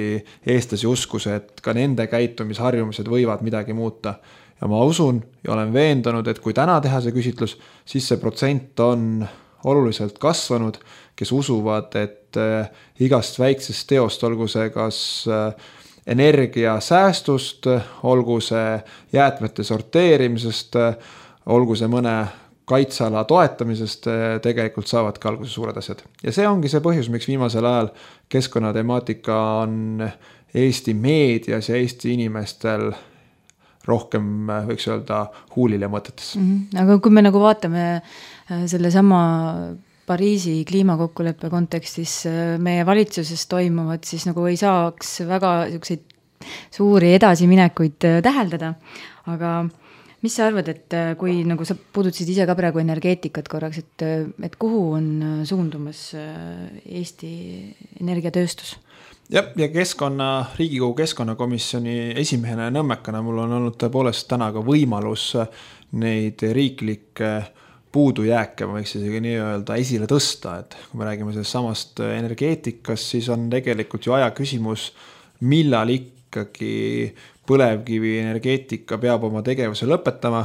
eestlasi uskus, et ka nende käitumisharjumused võivad midagi muuta. Ja ma usun ja olen veendunud, et kui täna teha see küsitlus, siis see protsent on oluliselt kasvanud, kes usuvad, et igast väiksest teost, olgu see kas energiasäästust, olgu see jäätmete sorteerimisest, olgu see mõne kaitseala toetamisest, tegelikult saavad ka alguse suured asjad. Ja see ongi see põhjus, miks viimasel ajal keskkonnatemaatika on Eesti meedias ja Eesti inimestel rohkem, võiks öelda, huulil ja mõtetes. Aga kui me nagu vaatame selle sama Pariisi kliimakokkuleppe kontekstis meie valitsuses toimuvad, siis nagu ei saaks väga suuri edasiminekuid täheldada. Aga mis sa arvad, et kui nagu sa puudutasid ise ka praegu energeetikat korraks, et kuhu on suundumas Eesti energiatööstus? Ja Riigikogu keskkonnakomisjoni esimehena ja nõmmekana mul on olnud tõepoolest täna ka võimalus neid riiklikke puudujääke, ma võiks isegi nii öelda, esile tõsta, et kui me räägime sellest samast energeetikast, siis on tegelikult ju aja küsimus, millal ikkagi põlevkivi energeetika peab oma tegevuse lõpetama.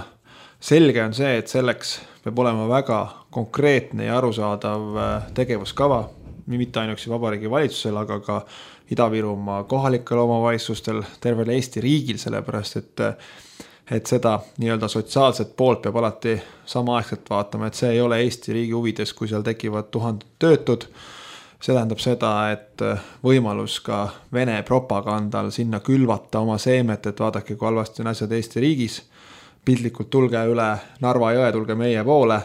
Selge on see, et selleks peab olema väga konkreetne ja arusaadav tegevuskava, mitte ainuüksi Vabariigi valitsusel, aga ka Ida-Virumaa kohalikel omavalitsustel, tervel Eesti riigil, sellepärast, et seda nii-öelda sotsiaalset poolt peab alati samaaegselt vaatama, et see ei ole Eesti riigi huvides, kui seal tekivad 1000 töötud. See tähendab seda, et võimalus ka Vene propagandal sinna külvata oma seemet, et vaadake, kui halvasti on asjad Eesti riigis, pildlikult tulge üle Narva jõe, tulge meie poole,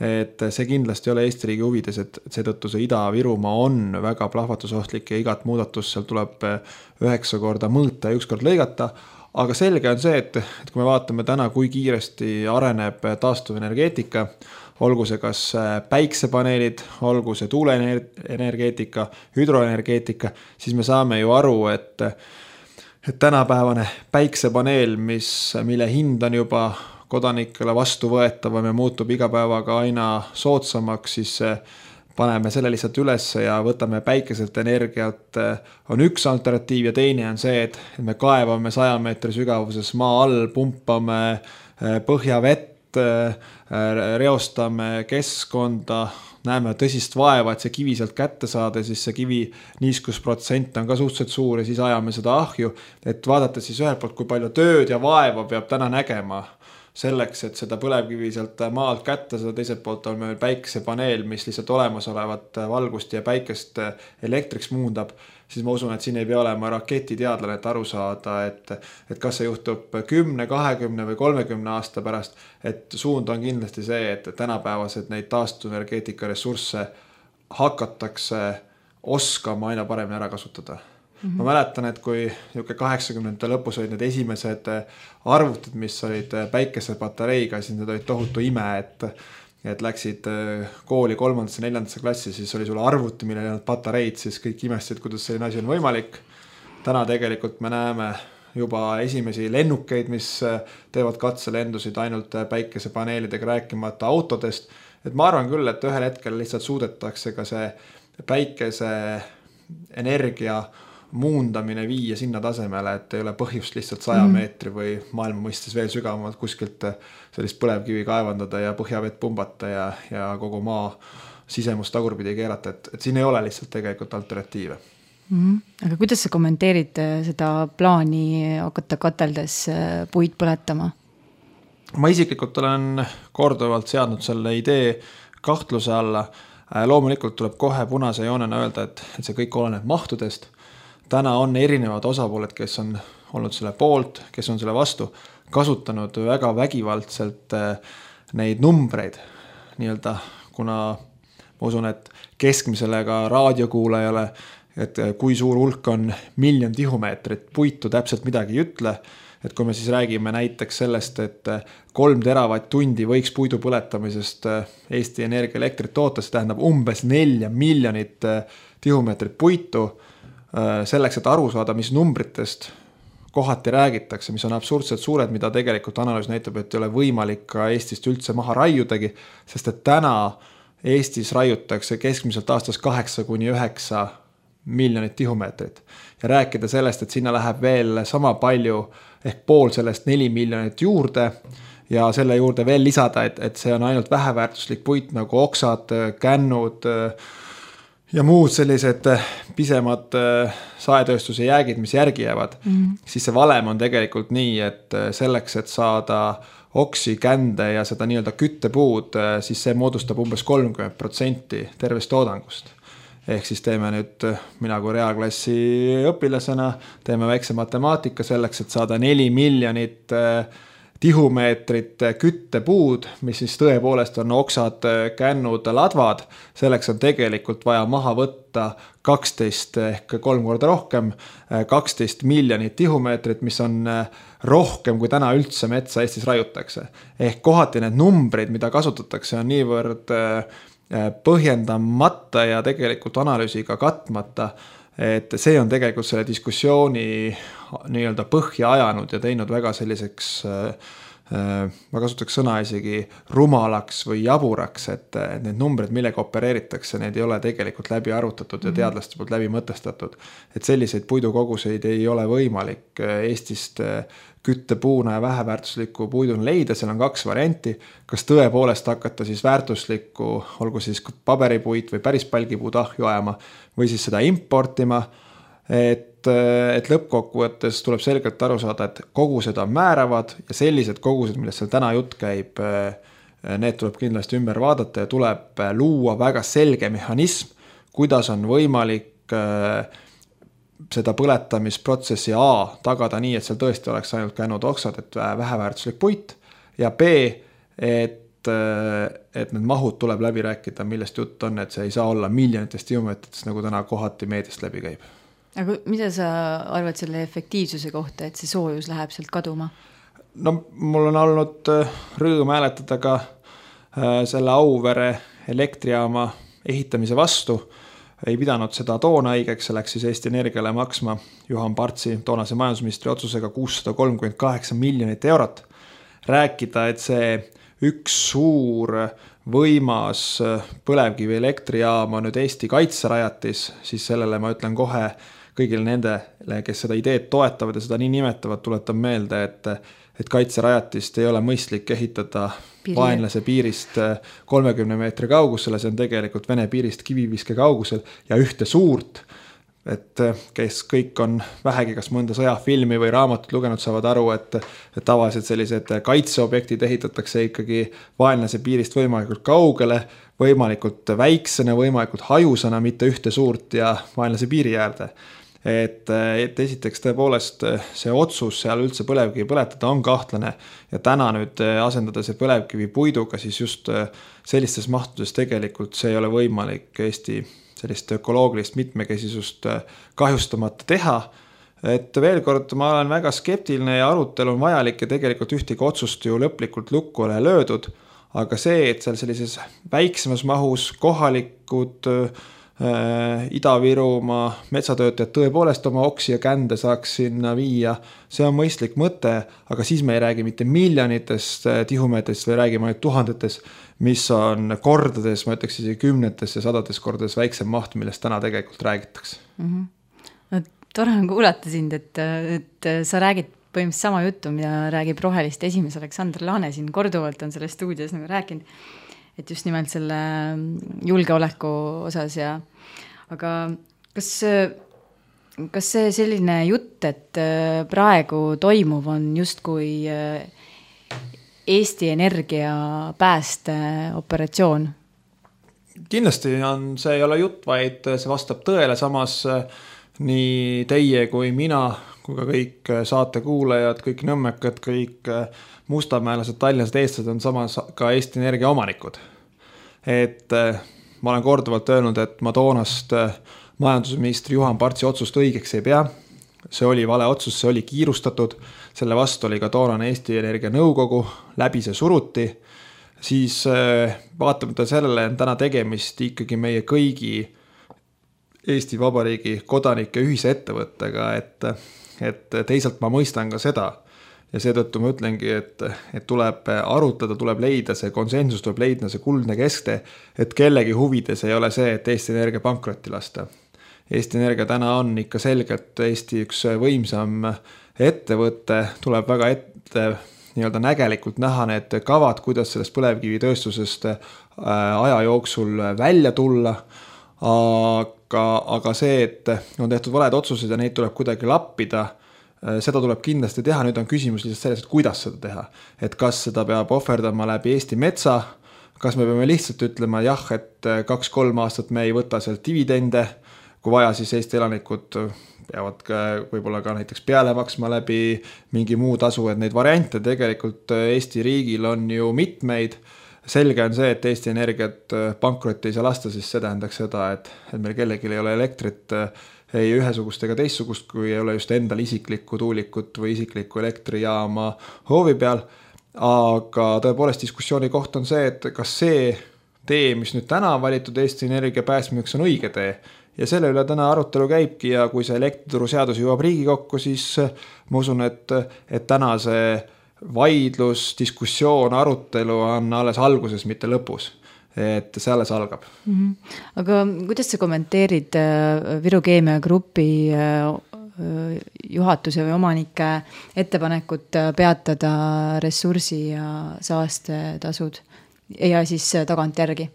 et see kindlasti ei ole Eesti riigi huvides, et seetõttu see Ida-Virumaa on väga plahvatusohtlik ja igat muudatust seal tuleb 9 korda mõõta ja 1 kord lõigata. Aga selge on see, et kui me vaatame täna, kui kiiresti areneb taastuvenergeetika, olgu see kas päiksepaneelid, olgu see tuuleenergeetika, hüdroenergeetika, siis me saame ju aru, et tänapäevane päiksepaneel, mille hind on juba kodanikele vastuvõetavam ja muutub iga päevaga aina soodsamaks, siis paneme selle lihtsalt üles ja võtame päikeselt energiat, on üks alternatiiv ja teine on see, et me kaevame 100 meetri sügavuses maa all, pumpame põhjavett, reostame keskkonda, näeme tõsist vaeva, et see kivi sealt kätte saada, siis see kivi niiskusprotsent on ka suhteliselt suur ja siis ajame seda ahju, et vaadata siis ühelt poolt, kui palju tööd ja vaeva peab täna nägema selleks, et seda põlevkivi sealt maalt kätte, seda teiselt poolt on meil päiksepaneel, mis lihtsalt olemasolevat valgust ja päikest elektriks muundab, siis ma usun, et siin ei pea olema raketiteadlane, et aru saada, et kas see juhtub 10, 20 või 30 aasta pärast, et suund on kindlasti see, et tänapäevased neid taastuvenergeetika ressursse hakatakse oskama aina paremini ära kasutada. Ma mäletan, et kui 80. lõpus olid need esimesed arvutid, mis olid päikesepatareiga, siis need olid tohutu ime, et läksid kooli 3. ja 4. klassi, siis oli sulle arvuti, millel ei olnud patareid, siis kõik imestasid, kuidas selline asi on võimalik. Täna tegelikult me näeme juba esimesi lennukeid, mis teevad katselendusid ainult päikesepaneelidega rääkimata autodest. Et ma arvan küll, et ühel hetkel lihtsalt suudetakse ka see päikese energia muundamine viia sinna tasemele, et ei ole põhjust lihtsalt 100 meetri või maailma mõistes veel sügavamalt kuskilt sellist põlevkivi kaevandada ja põhjavett pumbata ja kogu maa sisemust tagurpidi keerata, et siin ei ole lihtsalt tegelikult alternatiive. Aga kuidas sa kommenteerid seda plaani hakata kateldes puid põletama? Ma isiklikult olen korduvalt seadnud selle idee kahtluse alla. Loomulikult tuleb kohe punase joonena öelda, et see kõik oleneb mahtudest. Täna on erinevad osapooled, kes on olnud selle poolt, kes on selle vastu, kasutanud väga vägivaldselt neid numbreid. Nii-öelda, kuna ma usun, et keskmisele ka raadiokuulajale, et kui suur hulk on 1 miljon tihumeetrit puitu, täpselt midagi ei ütle. Et kui me siis räägime näiteks sellest, et 3 teravatt-tundi võiks puidu põletamisest Eesti Energia elektrit toota, see tähendab umbes 4 miljonit tihumeetrit puitu, selleks, et aru saada, mis numbritest kohati räägitakse, mis on absurdselt suured, mida tegelikult analüüs näitab, et ei ole võimalik ka Eestist üldse maha raiudagi, sest et täna Eestis raiutakse keskmiselt aastas 8-9 miljonit tihumeetrit. Ja rääkida sellest, et sinna läheb veel sama palju ehk pool sellest 4 miljonit juurde ja selle juurde veel lisada, et see on ainult väheväärtuslik puit nagu oksad, kännud ja muud sellised pisemad saetööstuse jäägid, mis järgi jäävad, siis see valem on tegelikult nii, et selleks, et saada oksi, kände ja seda nii-öelda küttepuud, siis see moodustab umbes 30% tervest toodangust. Ehk siis teeme nüüd, mina kui reaalklassi õpilasena, teeme väikse matemaatika selleks, et saada 4 miljonit tihumeetrit küttepuud, mis siis tõepoolest on oksad, kännud, ladvad. Selleks on tegelikult vaja maha võtta 12 ehk 3 korda rohkem, 12 miljonit tihumeetrit, mis on rohkem kui täna üldse metsa Eestis raiutakse. Ehk kohati need numbrid, mida kasutatakse, on niivõrd põhjendamata ja tegelikult analüüsiga katmata, et see on tegelikult selle diskussiooni nii-öelda põhja ajanud ja teinud väga selliseks, ma kasutaks sõna isegi rumalaks või jaburaks, et need numbrid, millega opereeritakse, need ei ole tegelikult läbi arutatud ja teadlaste poolt läbi mõtestatud. Et selliseid puidukoguseid ei ole võimalik Eestist küttepuuna ja väheväärtuslikku puiduna leida, seal on 2 varianti, kas tõepoolest hakata siis väärtuslikku, olgu siis paberipuit või päris palgipuud ahju ajama või siis seda importima, et lõppkokkuvõttes tuleb selgelt aru saada, et kogused on määravad ja sellised kogused, millest seal täna jutt käib, need tuleb kindlasti ümber vaadata ja tuleb luua väga selge mehhanism, kuidas on võimalik seda põletamisprotsessi A tagada nii, et seal tõesti oleks ainult kännud oksad, et väheväärtuslik puit ja B, et need mahud tuleb läbi rääkida, millest jutt on, et see ei saa olla miljonitest tihumeetritest, nagu täna kohati meediast läbi käib. Aga mida sa arvad selle efektiivsuse kohta, et see soojus läheb sealt kaduma? No mul on olnud rõõm hääletada ka selle Auvere elektrijaama ehitamise vastu. Ei pidanud seda toona õigeks, see läks siis Eesti Energiale maksma Juhan Partsi toonase majandusministri otsusega 638 miljonit eurot. Rääkida, et see üks suur võimas põlevkivi elektrijaam on nüüd Eesti kaitserajatis, siis sellele ma ütlen kohe kõigile nendele, kes seda ideed toetavad ja seda nii nimetavad, tuletan meelde, et kaitserajatist ei ole mõistlik ehitada vaenlase piirist 30 meetri kaugusele, see on tegelikult Vene piirist kiviviske kaugusel ja ühte suurt, et kes kõik on vähegi kas mõnda sõjafilmi või raamatut lugenud, saavad aru, et tavaliselt sellised kaitseobjektid ehitatakse ikkagi vaenlase piirist võimalikult kaugele, võimalikult väiksena, võimalikult hajusana, mitte ühte suurt ja vaenlase piiri äärde. Et esiteks tõepoolest see otsus seal üldse põlevkivi põletada on kahtlane ja täna nüüd asendada see põlevkivi puiduga, siis just sellistes mahtudes tegelikult see ei ole võimalik Eesti sellist ökoloogilist mitmekesisust kahjustamata teha. Et veel kord, ma olen väga skeptiline ja arutelu on vajalik ja tegelikult ühtegi otsust ju lõplikult lukku ole löödud, aga see, et seal sellises väiksemas mahus kohalikud Ida-Virumaa metsatöötajad tõepoolest oma oksi ja kände saaks sinna viia, see on mõistlik mõte, aga siis me ei räägi mitte miljonitest tihumeetrist, või räägime ainult tuhandetest, mis on kordades, ma ütleks isegi 10 ja 100 kordades väiksem maht, millest täna tegelikult räägitakse. No, tore on kuulata sind, et sa räägid põhimõtteliselt sama juttu, mida räägib Roheliste esimees Aleksandr Laane siin korduvalt on selles stuudios nagu rääkinud, et just nimelt selle julgeoleku osas ja aga kas see selline jutt, et praegu toimuv on justkui Eesti Energia päästeoperatsioon? Kindlasti on, see ei ole jutt, vaid see vastab tõele, samas nii teie kui mina, kui ka kõik saatekuulajad, kõik nõmmekad, kõik mustamäelased, tallinlased, eestlased on samas ka Eesti Energia omanikud. Et ma olen korduvalt öelnud, et ma toonast majandusministri Juhan Partsi otsust õigeks ei pea. See oli vale otsus, see oli kiirustatud. Selle vastu oli ka toonane Eesti Energia nõukogu, läbi see suruti. Siis vaatamata sellele on täna tegemist ikkagi meie kõigi Eesti Vabariigi kodanike ühise ettevõttega, et teisalt ma mõistan ka seda. Ja seetõttu ma ütlengi, et tuleb arutada, tuleb leida see konsensus, tuleb leida see kuldne keskte, et kellegi huvides ei ole see, et Eesti Energia pankrotti lasta. Eesti Energia täna on ikka selgelt Eesti üks võimsam ettevõte, tuleb väga ette nii-öelda nägelikult näha need kavad, kuidas sellest põlevkivitööstusest aja jooksul välja tulla, aga see, et on tehtud valed otsused ja neid tuleb kuidagi lappida, seda tuleb kindlasti teha, nüüd on küsimus lihtsalt selles, et kuidas seda teha. Et kas seda peab ohverdama läbi Eesti metsa, kas me peame lihtsalt ütlema jah, et 2-3 aastat me ei võta sealt dividende, kui vaja, siis Eesti elanikud peavad võib-olla ka näiteks peale maksma läbi mingi muu tasu, et neid variante tegelikult Eesti riigil on ju mitmeid. Selge on see, et Eesti Energiat pankrotti ei saa lasta, siis see tähendaks seda, et meil kellelgi ei ole elektrit ei ühesugust ega teistsugust, kui ei ole just endal isiklikku tuulikut või isiklikku elektrijaama hoovi peal. Aga tõepoolest diskussiooni koht on see, et kas see tee, mis nüüd täna valitud Eesti Energia pääsmiseks on õige tee. Ja selle üle täna arutelu käibki ja kui see elektrituru seadus jõuab Riigikokku, siis ma usun, et täna see vaidlus, diskussioon, arutelu on alles alguses, mitte lõpus. Et see alles algab. Aga kuidas sa kommenteerid Viru Keemia Grupi juhatuse või omanike ettepanekut peatada ressursi ja saastetasud ja siis tagantjärgi?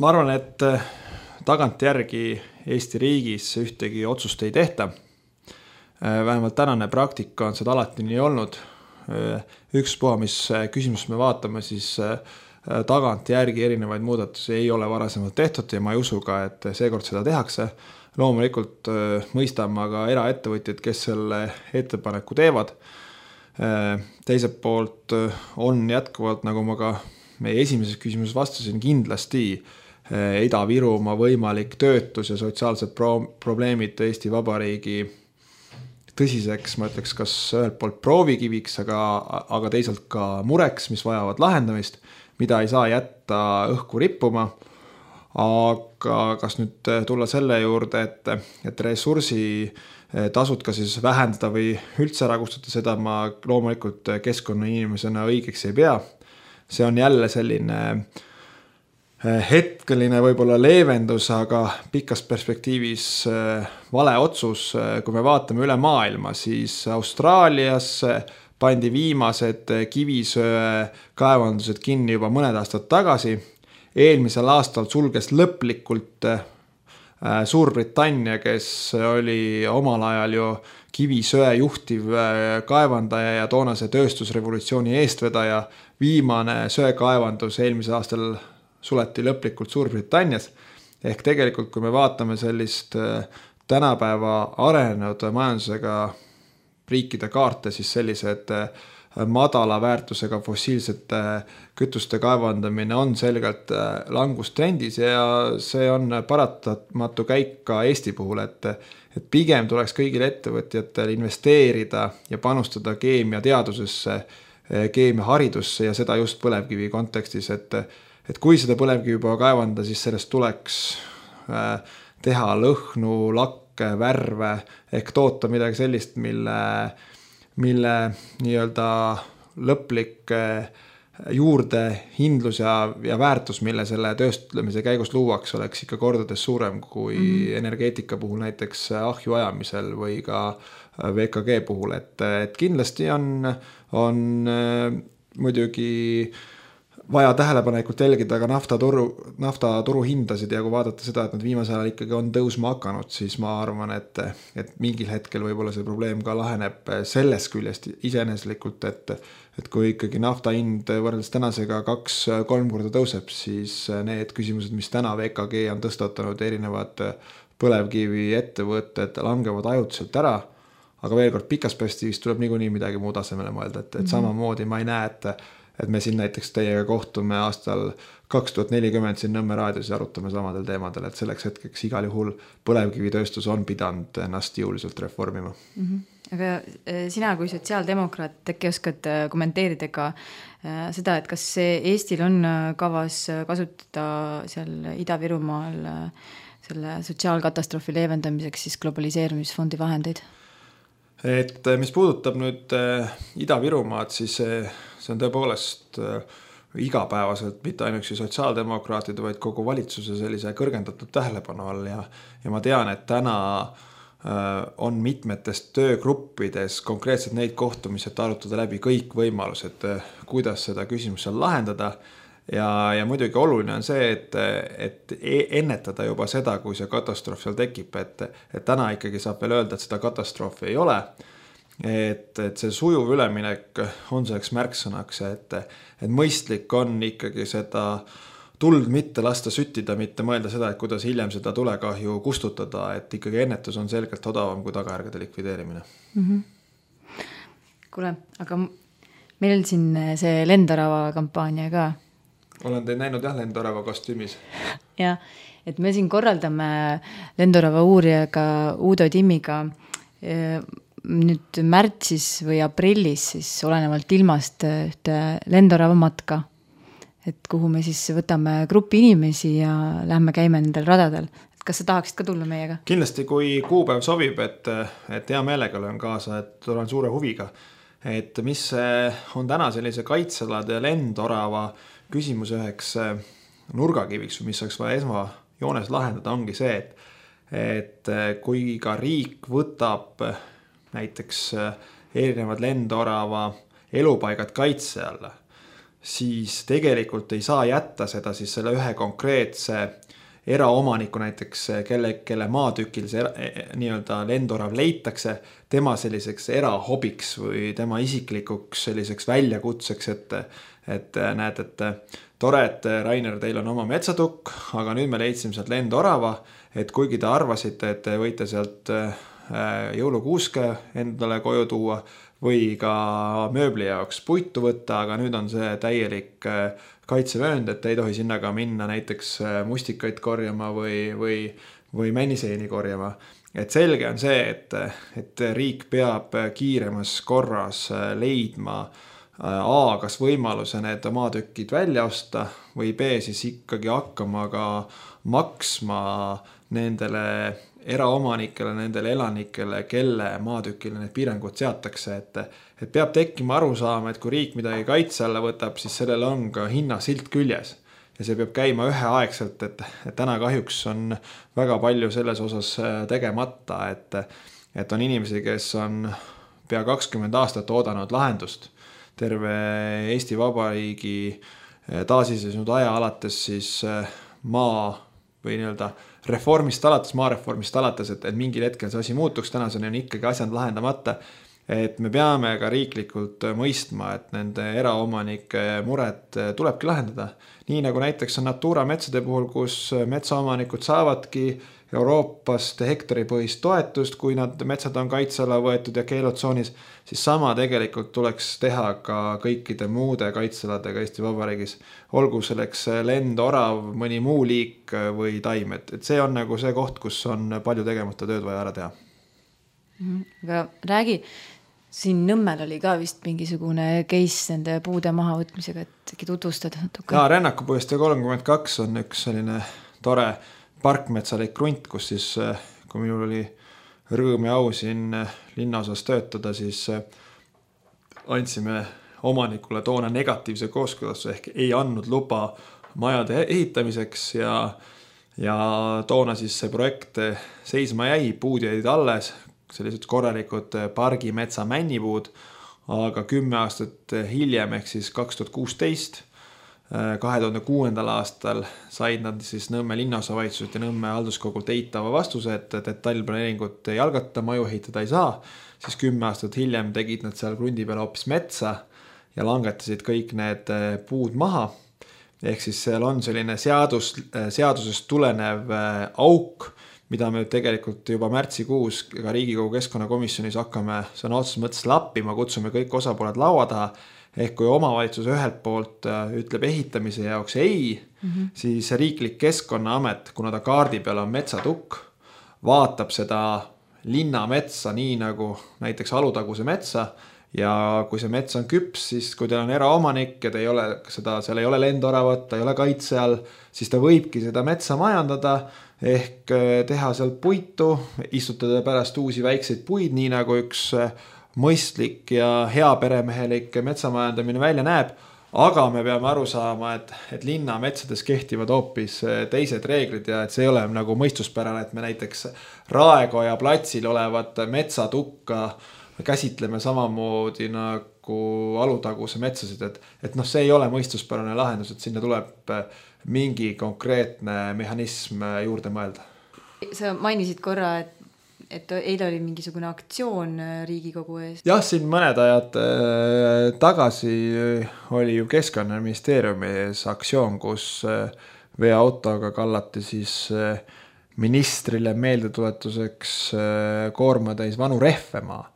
Ma arvan, et tagantjärgi Eesti riigis ühtegi otsust ei tehta. Vähemalt tänane praktika on seda alati nii olnud. Ükspuha, mis küsimus me vaatame, siis tagantjärgi erinevaid muudatusi ei ole varasemalt tehtud ja ma ei usu ka, et seekord seda tehakse. Loomulikult mõistame aga eraettevõtjad, kes selle ettepaneku teevad. Teiselt poolt on jätkuvalt, nagu ma ka meie esimeses küsimuses vastasin, kindlasti Ida-Virumaa võimalik töötus ja sotsiaalsed probleemid Eesti Vabariigi tõsiseks, ma ütleks, kas ühelt poolt proovikiviks, aga teisalt ka mureks, mis vajavad lahendamist, mida ei saa jätta õhku rippuma. Aga kas nüüd tulla selle juurde, et ressursi tasud ka siis vähendada või üldse ära kustutada, seda ma loomulikult keskkonnainimesena õigeks ei pea. See on jälle selline hetkeline võib-olla leevendus, aga pikas perspektiivis vale otsus. Kui me vaatame üle maailma, siis Austraalias pandi viimased kivisöe kaevandused kinni juba mõned aastad tagasi. Eelmisel aastal sulges lõplikult Suurbritannia, kes oli omal ajal ju kivisöe juhtiv kaevandaja ja toonase tööstusrevolutsiooni eestvedaja. Viimane söekaevandus eelmisel aastal suleti lõplikult Suurbritannias. Ehk tegelikult, kui me vaatame sellist tänapäeva arenenud majandusega riikide kaarte, siis sellised madala väärtusega fossiilsete kütuste kaevandamine on selgelt langustrendis ja see on paratamatu käik ka Eesti puhul, et pigem tuleks kõigil ettevõtjatel investeerida ja panustada keemiateadusesse, keemiaharidusse ja seda just põlevkivi kontekstis, et kui seda põlevkivi juba kaevanda, siis sellest tuleks teha lõhnu, lakke, värve ehk toota midagi sellist, mille nii-öelda lõplik juurdehindlus ja väärtus, mille selle tööstlemise käigus luuaks, oleks ikka kordades suurem kui energeetika puhul näiteks ahju ajamisel või ka VKG puhul, et kindlasti on muidugi vaja tähelepanelikult jälgida ka naftaturu hindasid ja kui vaadata seda, et nad viimasel ajal ikkagi on tõusma hakanud, siis ma arvan, et mingil hetkel võib-olla see probleem ka laheneb selles küljest iseeneslikult, et kui ikkagi nafta hind võrreldes tänasega 2-3 korda tõuseb, siis need küsimused, mis täna VKG on tõstatanud, erinevad põlevkivi ettevõtted langevad ajutiselt ära, aga veel kord pikas perspektiivis tuleb niikuinii midagi muud asemele mõelda, et samamoodi ma ei näe, et me siin näiteks teiega kohtume aastal 2040 siin Nõmme raadios ja arutame samadel teemadel, et selleks hetkeks igal juhul põlevkivitööstus on pidanud ennast jõuliselt reformima. Aga sina kui sotsiaaldemokraat äkki oskad kommenteerida ka seda, et kas Eestil on kavas kasutada seal Ida-Virumaal selle sotsiaalkatastroofi leevendamiseks siis globaliseerumisfondi vahendeid? Et mis puudutab nüüd Ida-Virumaad, siis see on tõepoolest igapäevaselt mitte ainuüksi sotsiaaldemokraatide, vaid kogu valitsuse sellise kõrgendatud tähelepanu all ja ma tean, et täna on mitmetes töögruppides konkreetselt neid kohtumised arutada läbi kõik võimalused, kuidas seda küsimust seal lahendada. ja muidugi oluline on see, et ennetada juba seda, kui see katastroof seal tekib, et täna ikkagi saab veel öelda, et seda katastroofi ei ole. Et see sujuv üleminek on selleks märksõnaks, et mõistlik on ikkagi seda tuld mitte lasta süttida, mitte mõelda seda, et kuidas hiljem seda tulekahju kustutada, et ikkagi ennetus on selgelt odavam kui tagajärgede likvideerimine. Kuule, aga meil on siin see Lendorava kampaania ka. Olen teid näinud Lendorava kostüümis. Ja, et me siin korraldame Lendorava uurijaga Uudo Timmiga nüüd märtsis või aprillis siis olenevalt ilmast ühte Lendorava matka, et kuhu me siis võtame grupi inimesi ja lähme käime nendel radadel. Et kas sa tahaksid ka tulla meiega? Kindlasti, kui kuupäev sobib, et hea meelega olen kaasa, et olen suure huviga. Et mis on täna sellise kaitselade ja Lendorava küsimus üheks nurgakiviks, mis oleks vaja esmajoones lahendada, ongi see, et kui ka riik võtab näiteks erinevad Lendorava elupaigad kaitse alla, siis tegelikult ei saa jätta seda siis selle ühe konkreetse eraomaniku näiteks, kelle maatükil see nii-öelda Lendorav leitakse, tema selliseks erahobiks või tema isiklikuks selliseks väljakutseks, et näed, et tore, et Rainer, teil on oma metsatukk, aga nüüd me leidsime sealt Lendorava, et kuigi te arvasite, et te võite sealt jõulukuuske endale koju tuua või ka mööbli jaoks puitu võtta, aga nüüd on see täielik kaitsevöönd, et ei tohi sinna ka minna näiteks mustikaid korjama või männiseeni korjama. Et selge on see, et riik peab kiiremas korras leidma kas võimaluse need maatükid välja osta või B siis ikkagi hakkama ka maksma nendele eraomanikele, nendele elanikele, kelle maatükile need piirangud seatakse, et peab tekkima aru saama, et kui riik midagi kaitse alla võtab, siis sellel on ka hinnasilt küljes ja see peab käima üheaegselt, et täna kahjuks on väga palju selles osas tegemata, et on inimesi, kes on pea 20 aastat oodanud lahendust terve Eesti Vabariigi taasiseseisvunud aja alates siis maa või nii-öelda maareformist alates, et mingil hetkel see asi muutuks, tänaseni on ikkagi asjad lahendamata, et me peame ka riiklikult mõistma, et nende eraomanike mured tulebki lahendada. Nii nagu näiteks on Natura metsade puhul, kus metsaomanikud saavadki Euroopast hektaripõhist toetust, kui nad metsad on kaitsela võetud ja keelutsoonis, siis sama tegelikult tuleks teha ka kõikide muude kaitseladega Eesti Vabariigis. Olgu selleks lendorav, mõni muu liik või taim, et see on nagu see koht, kus on palju tegemata tööd vaja ära teha. Aga räägi, siin Nõmmel oli ka vist mingisugune case nende puude maha võtmisega, et äkki tutvustad natuke? Ja Rännakupuiestee 32 on üks selline tore parkmetsalik krunt, kus siis, kui minul oli rõõm ja au siin linnaosas töötada, siis andsime omanikule toona negatiivse kooskõlastuse ehk ei andnud luba majade ehitamiseks ja toona siis see projekt seisma jäi, puud jäid alles, sellised korralikud pargimetsa männipuud, aga 10 aastat hiljem ehk siis 2016 2006. aastal said nad siis Nõmme linnaosavalitsuselt ja Nõmme halduskogult eitava vastuse, et detailplaneeringut ei algata, maju ehitada ei saa, siis 10 aastat hiljem tegid nad seal krundi peal hoopis metsa ja langetasid kõik need puud maha. Ehk siis seal on selline seadusest tulenev auk, mida me tegelikult juba märtsikuus ka Riigikogu keskkonnakomisjonis hakkame sõna otseses mõttes lappima, kutsume kõik osapooled laua taha. Ehk kui omavalitsus ühelt poolt ütleb ehitamise jaoks ei, siis riiklik Keskkonnaamet, kuna ta kaardi peal on metsatukk, vaatab seda linnametsa nii nagu näiteks Alutaguse metsa ja kui see mets on küps, siis kui teil on eraomanik ja te ei ole seal ei ole lendoravat, ta ei ole kaitse all, siis ta võibki seda metsa majandada ehk teha sealt puitu, istutada pärast uusi väikseid puid, nii nagu üks mõistlik ja hea peremehelik metsamajandamine välja näeb, aga me peame aru saama, et linna metsades kehtivad hoopis teised reeglid ja et see ei ole nagu mõistuspärane, et me näiteks Raekoja platsil olevat metsatukka käsitleme samamoodi nagu Alutaguse metsasid, et noh, see ei ole mõistuspärane lahendus, et sinna tuleb mingi konkreetne mehhanism juurde mõelda. Sa mainisid korra, et eile oli mingisugune aktsioon Riigikogu eest. Jah, siin mõned ajad tagasi oli ju Keskkonnaministeeriumi ees aktsioon, kus veoautoga kallati siis ministrile meeldetuletuseks koormatäis vanu rehve maa.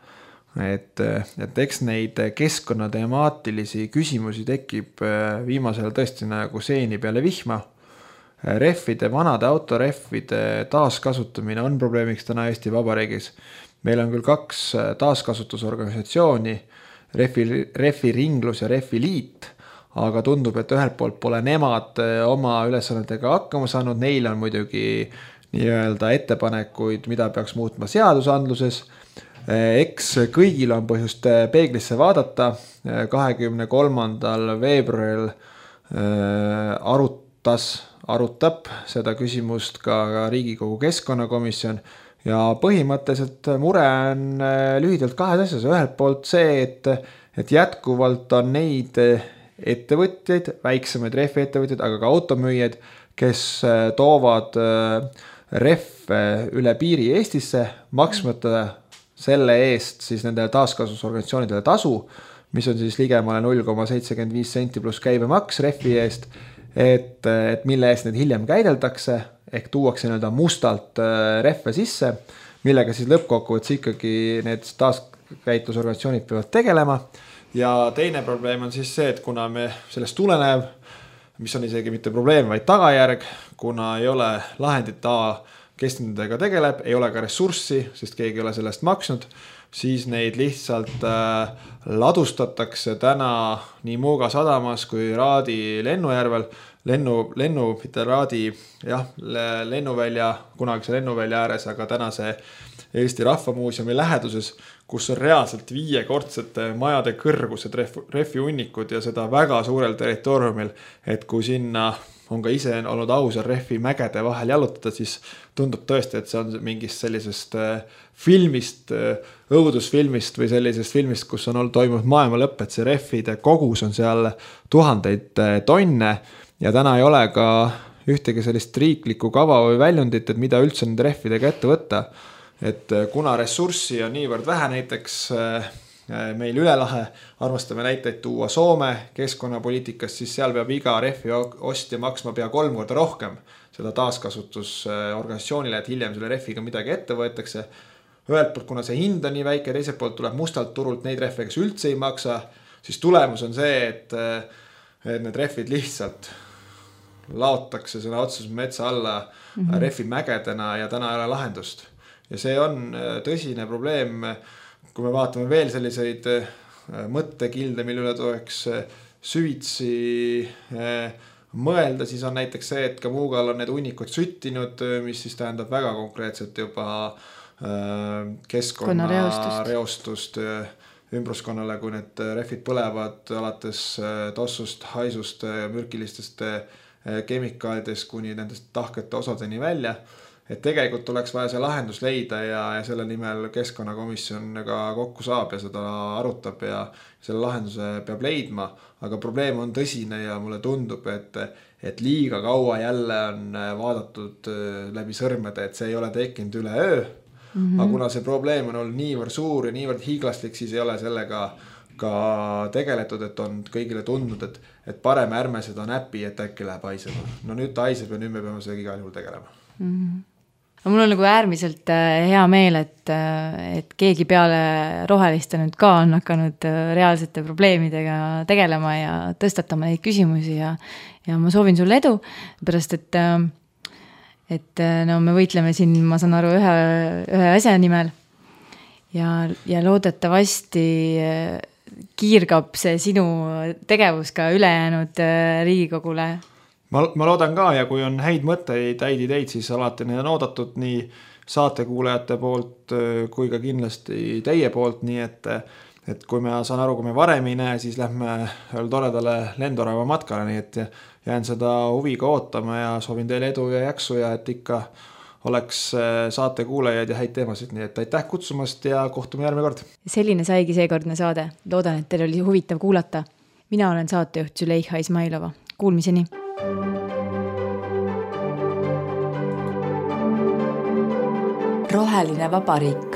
Et eks neid keskkonnatemaatilisi küsimusi tekib viimasel tõesti nagu seeni peale vihma. Rehvide, vanade autorehvide taaskasutamine on probleemiks täna Eesti Vabariigis. Meil on küll 2 taaskasutusorganisatsiooni, Rehvi Ringlus ja Rehvi Liit, aga tundub, et ühelt poolt pole nemad oma ülesannetega hakkama saanud, neil on muidugi nii-öelda ettepanekuid, mida peaks muutma seadusandluses. Eks kõigil on põhjust peeglisse vaadata. 23. veebruaril arutab seda küsimust ka Riigikogu Keskkonnakomisjon ja põhimõtteliselt mure on lühidalt 2 asjas. Ühelt poolt see, et jätkuvalt on neid ettevõtjaid, väiksemaid rehviettevõtjaid, aga ka automüüjad, kes toovad rehve üle piiri Eestisse, maksmata selle eest siis nendele taaskasutusorganisatsioonidele tasu, mis on siis ligemale 0,75 senti pluss käibemaks rehvi eest, et mille eest need hiljem käideldakse, ehk tuuakse nii-öelda mustalt rehve sisse, millega siis lõppkokkuvõttes ikkagi need taaskäitlusorganisatsioonid peavad tegelema. Ja teine probleem on siis see, et kuna me sellest tulenev, mis on isegi mitte probleem, vaid tagajärg, kuna ei ole lahendit kes nendega tegeleb, ei ole ka ressurssi, sest keegi ei ole sellest maksnud, siis neid lihtsalt ladustatakse täna nii Muuga sadamas kui Raadi lennujärvel, mitte Raadi, lennuvälja, kunagise lennuvälja ääres, aga tänase Eesti Rahvamuuseumi läheduses, kus on reaalselt 5-kordsete majade kõrgused rehvihunnikud ja seda väga suurel territooriumil, et kui sinna on ka ise olnud ausal rehvi mägede vahel jalutada, siis tundub tõesti, et see on mingist sellisest filmist, õudusfilmist või sellisest filmist, kus on toimunud maailma lõpp, et see rehvide kogus on seal 1000 tonne ja täna ei ole ka ühtegi sellist riiklikku kava või väljundit, et mida üldse nende rehvidega ette võtta. Et kuna ressurssi on niivõrd vähe, näiteks meil üle lahe armastame näiteid tuua Soome keskkonnapoliitikast, siis seal peab iga rehvi ostja maksma pea 3 korda rohkem seda taaskasutusorganisatsioonile, et hiljem selle rehviga midagi ette võetakse. Ühelt poolt, kuna see hind on nii väike, teiselt poolt tuleb mustalt turult neid rehve, kes üldse ei maksa, siis tulemus on see, et need rehvid lihtsalt laotakse sõna otseses metsa alla rehvi mägedena ja täna ei ole lahendust. Ja see on tõsine probleem. Kui me vaatame veel selliseid mõttekilde, mille üle tuleks süvitsi mõelda, siis on näiteks see, et ka Muugal on need hunnikud süttinud, mis siis tähendab väga konkreetselt juba keskkonnareostust ümbruskonnale, kui need rehvid põlevad alates tossust, haisust, mürkilistest kemikaalidest kuni nendest tahkete osadeni välja. Et tegelikult tuleks vaja see lahendus leida ja selle nimel Keskkonnakomisjon ka kokku saab ja seda arutab ja selle lahenduse peab leidma, aga probleem on tõsine ja mulle tundub, et liiga kaua jälle on vaadatud läbi sõrmede, et see ei ole tekkinud üle öö, aga kuna see probleem on olnud niivõrd suur ja niivõrd hiiglaslik, siis ei ole sellega ka tegeletud, et on kõigile tundnud, et parem ärme seda näpi, et äkki läheb haisema. No nüüd ta haiseb ja nüüd me peame sellega igal juhul tegelema. No mul on nagu äärmiselt hea meel, et keegi peale roheliste nüüd ka on hakanud reaalsete probleemidega tegelema ja tõstatama neid küsimusi ja ma soovin sulle edu, pärast et no me võitleme siin, ma saan aru, ühe asja nimel ja loodetavasti kiirgab see sinu tegevus ka ülejäänud Riigikogule. Ma loodan ka ja kui on häid mõtteid, häid ideid, siis alati need on oodatud nii saatekuulajate poolt kui ka kindlasti teie poolt, nii et kui me saan aru, kui me varem ei näe, siis lähme toredale lendorava matkale, nii et jään seda huviga ootama ja soovin teile edu ja jaksu ja et ikka oleks saate kuulajaid ja häid teemasid, nii et aitäh kutsumast ja kohtume järgmine kord. Selline saigi seekordne saade. Loodan, et teil oli huvitav kuulata. Mina olen saatejuht Züleyxa Izmailova. Kuulmiseni! Roheline vabariik.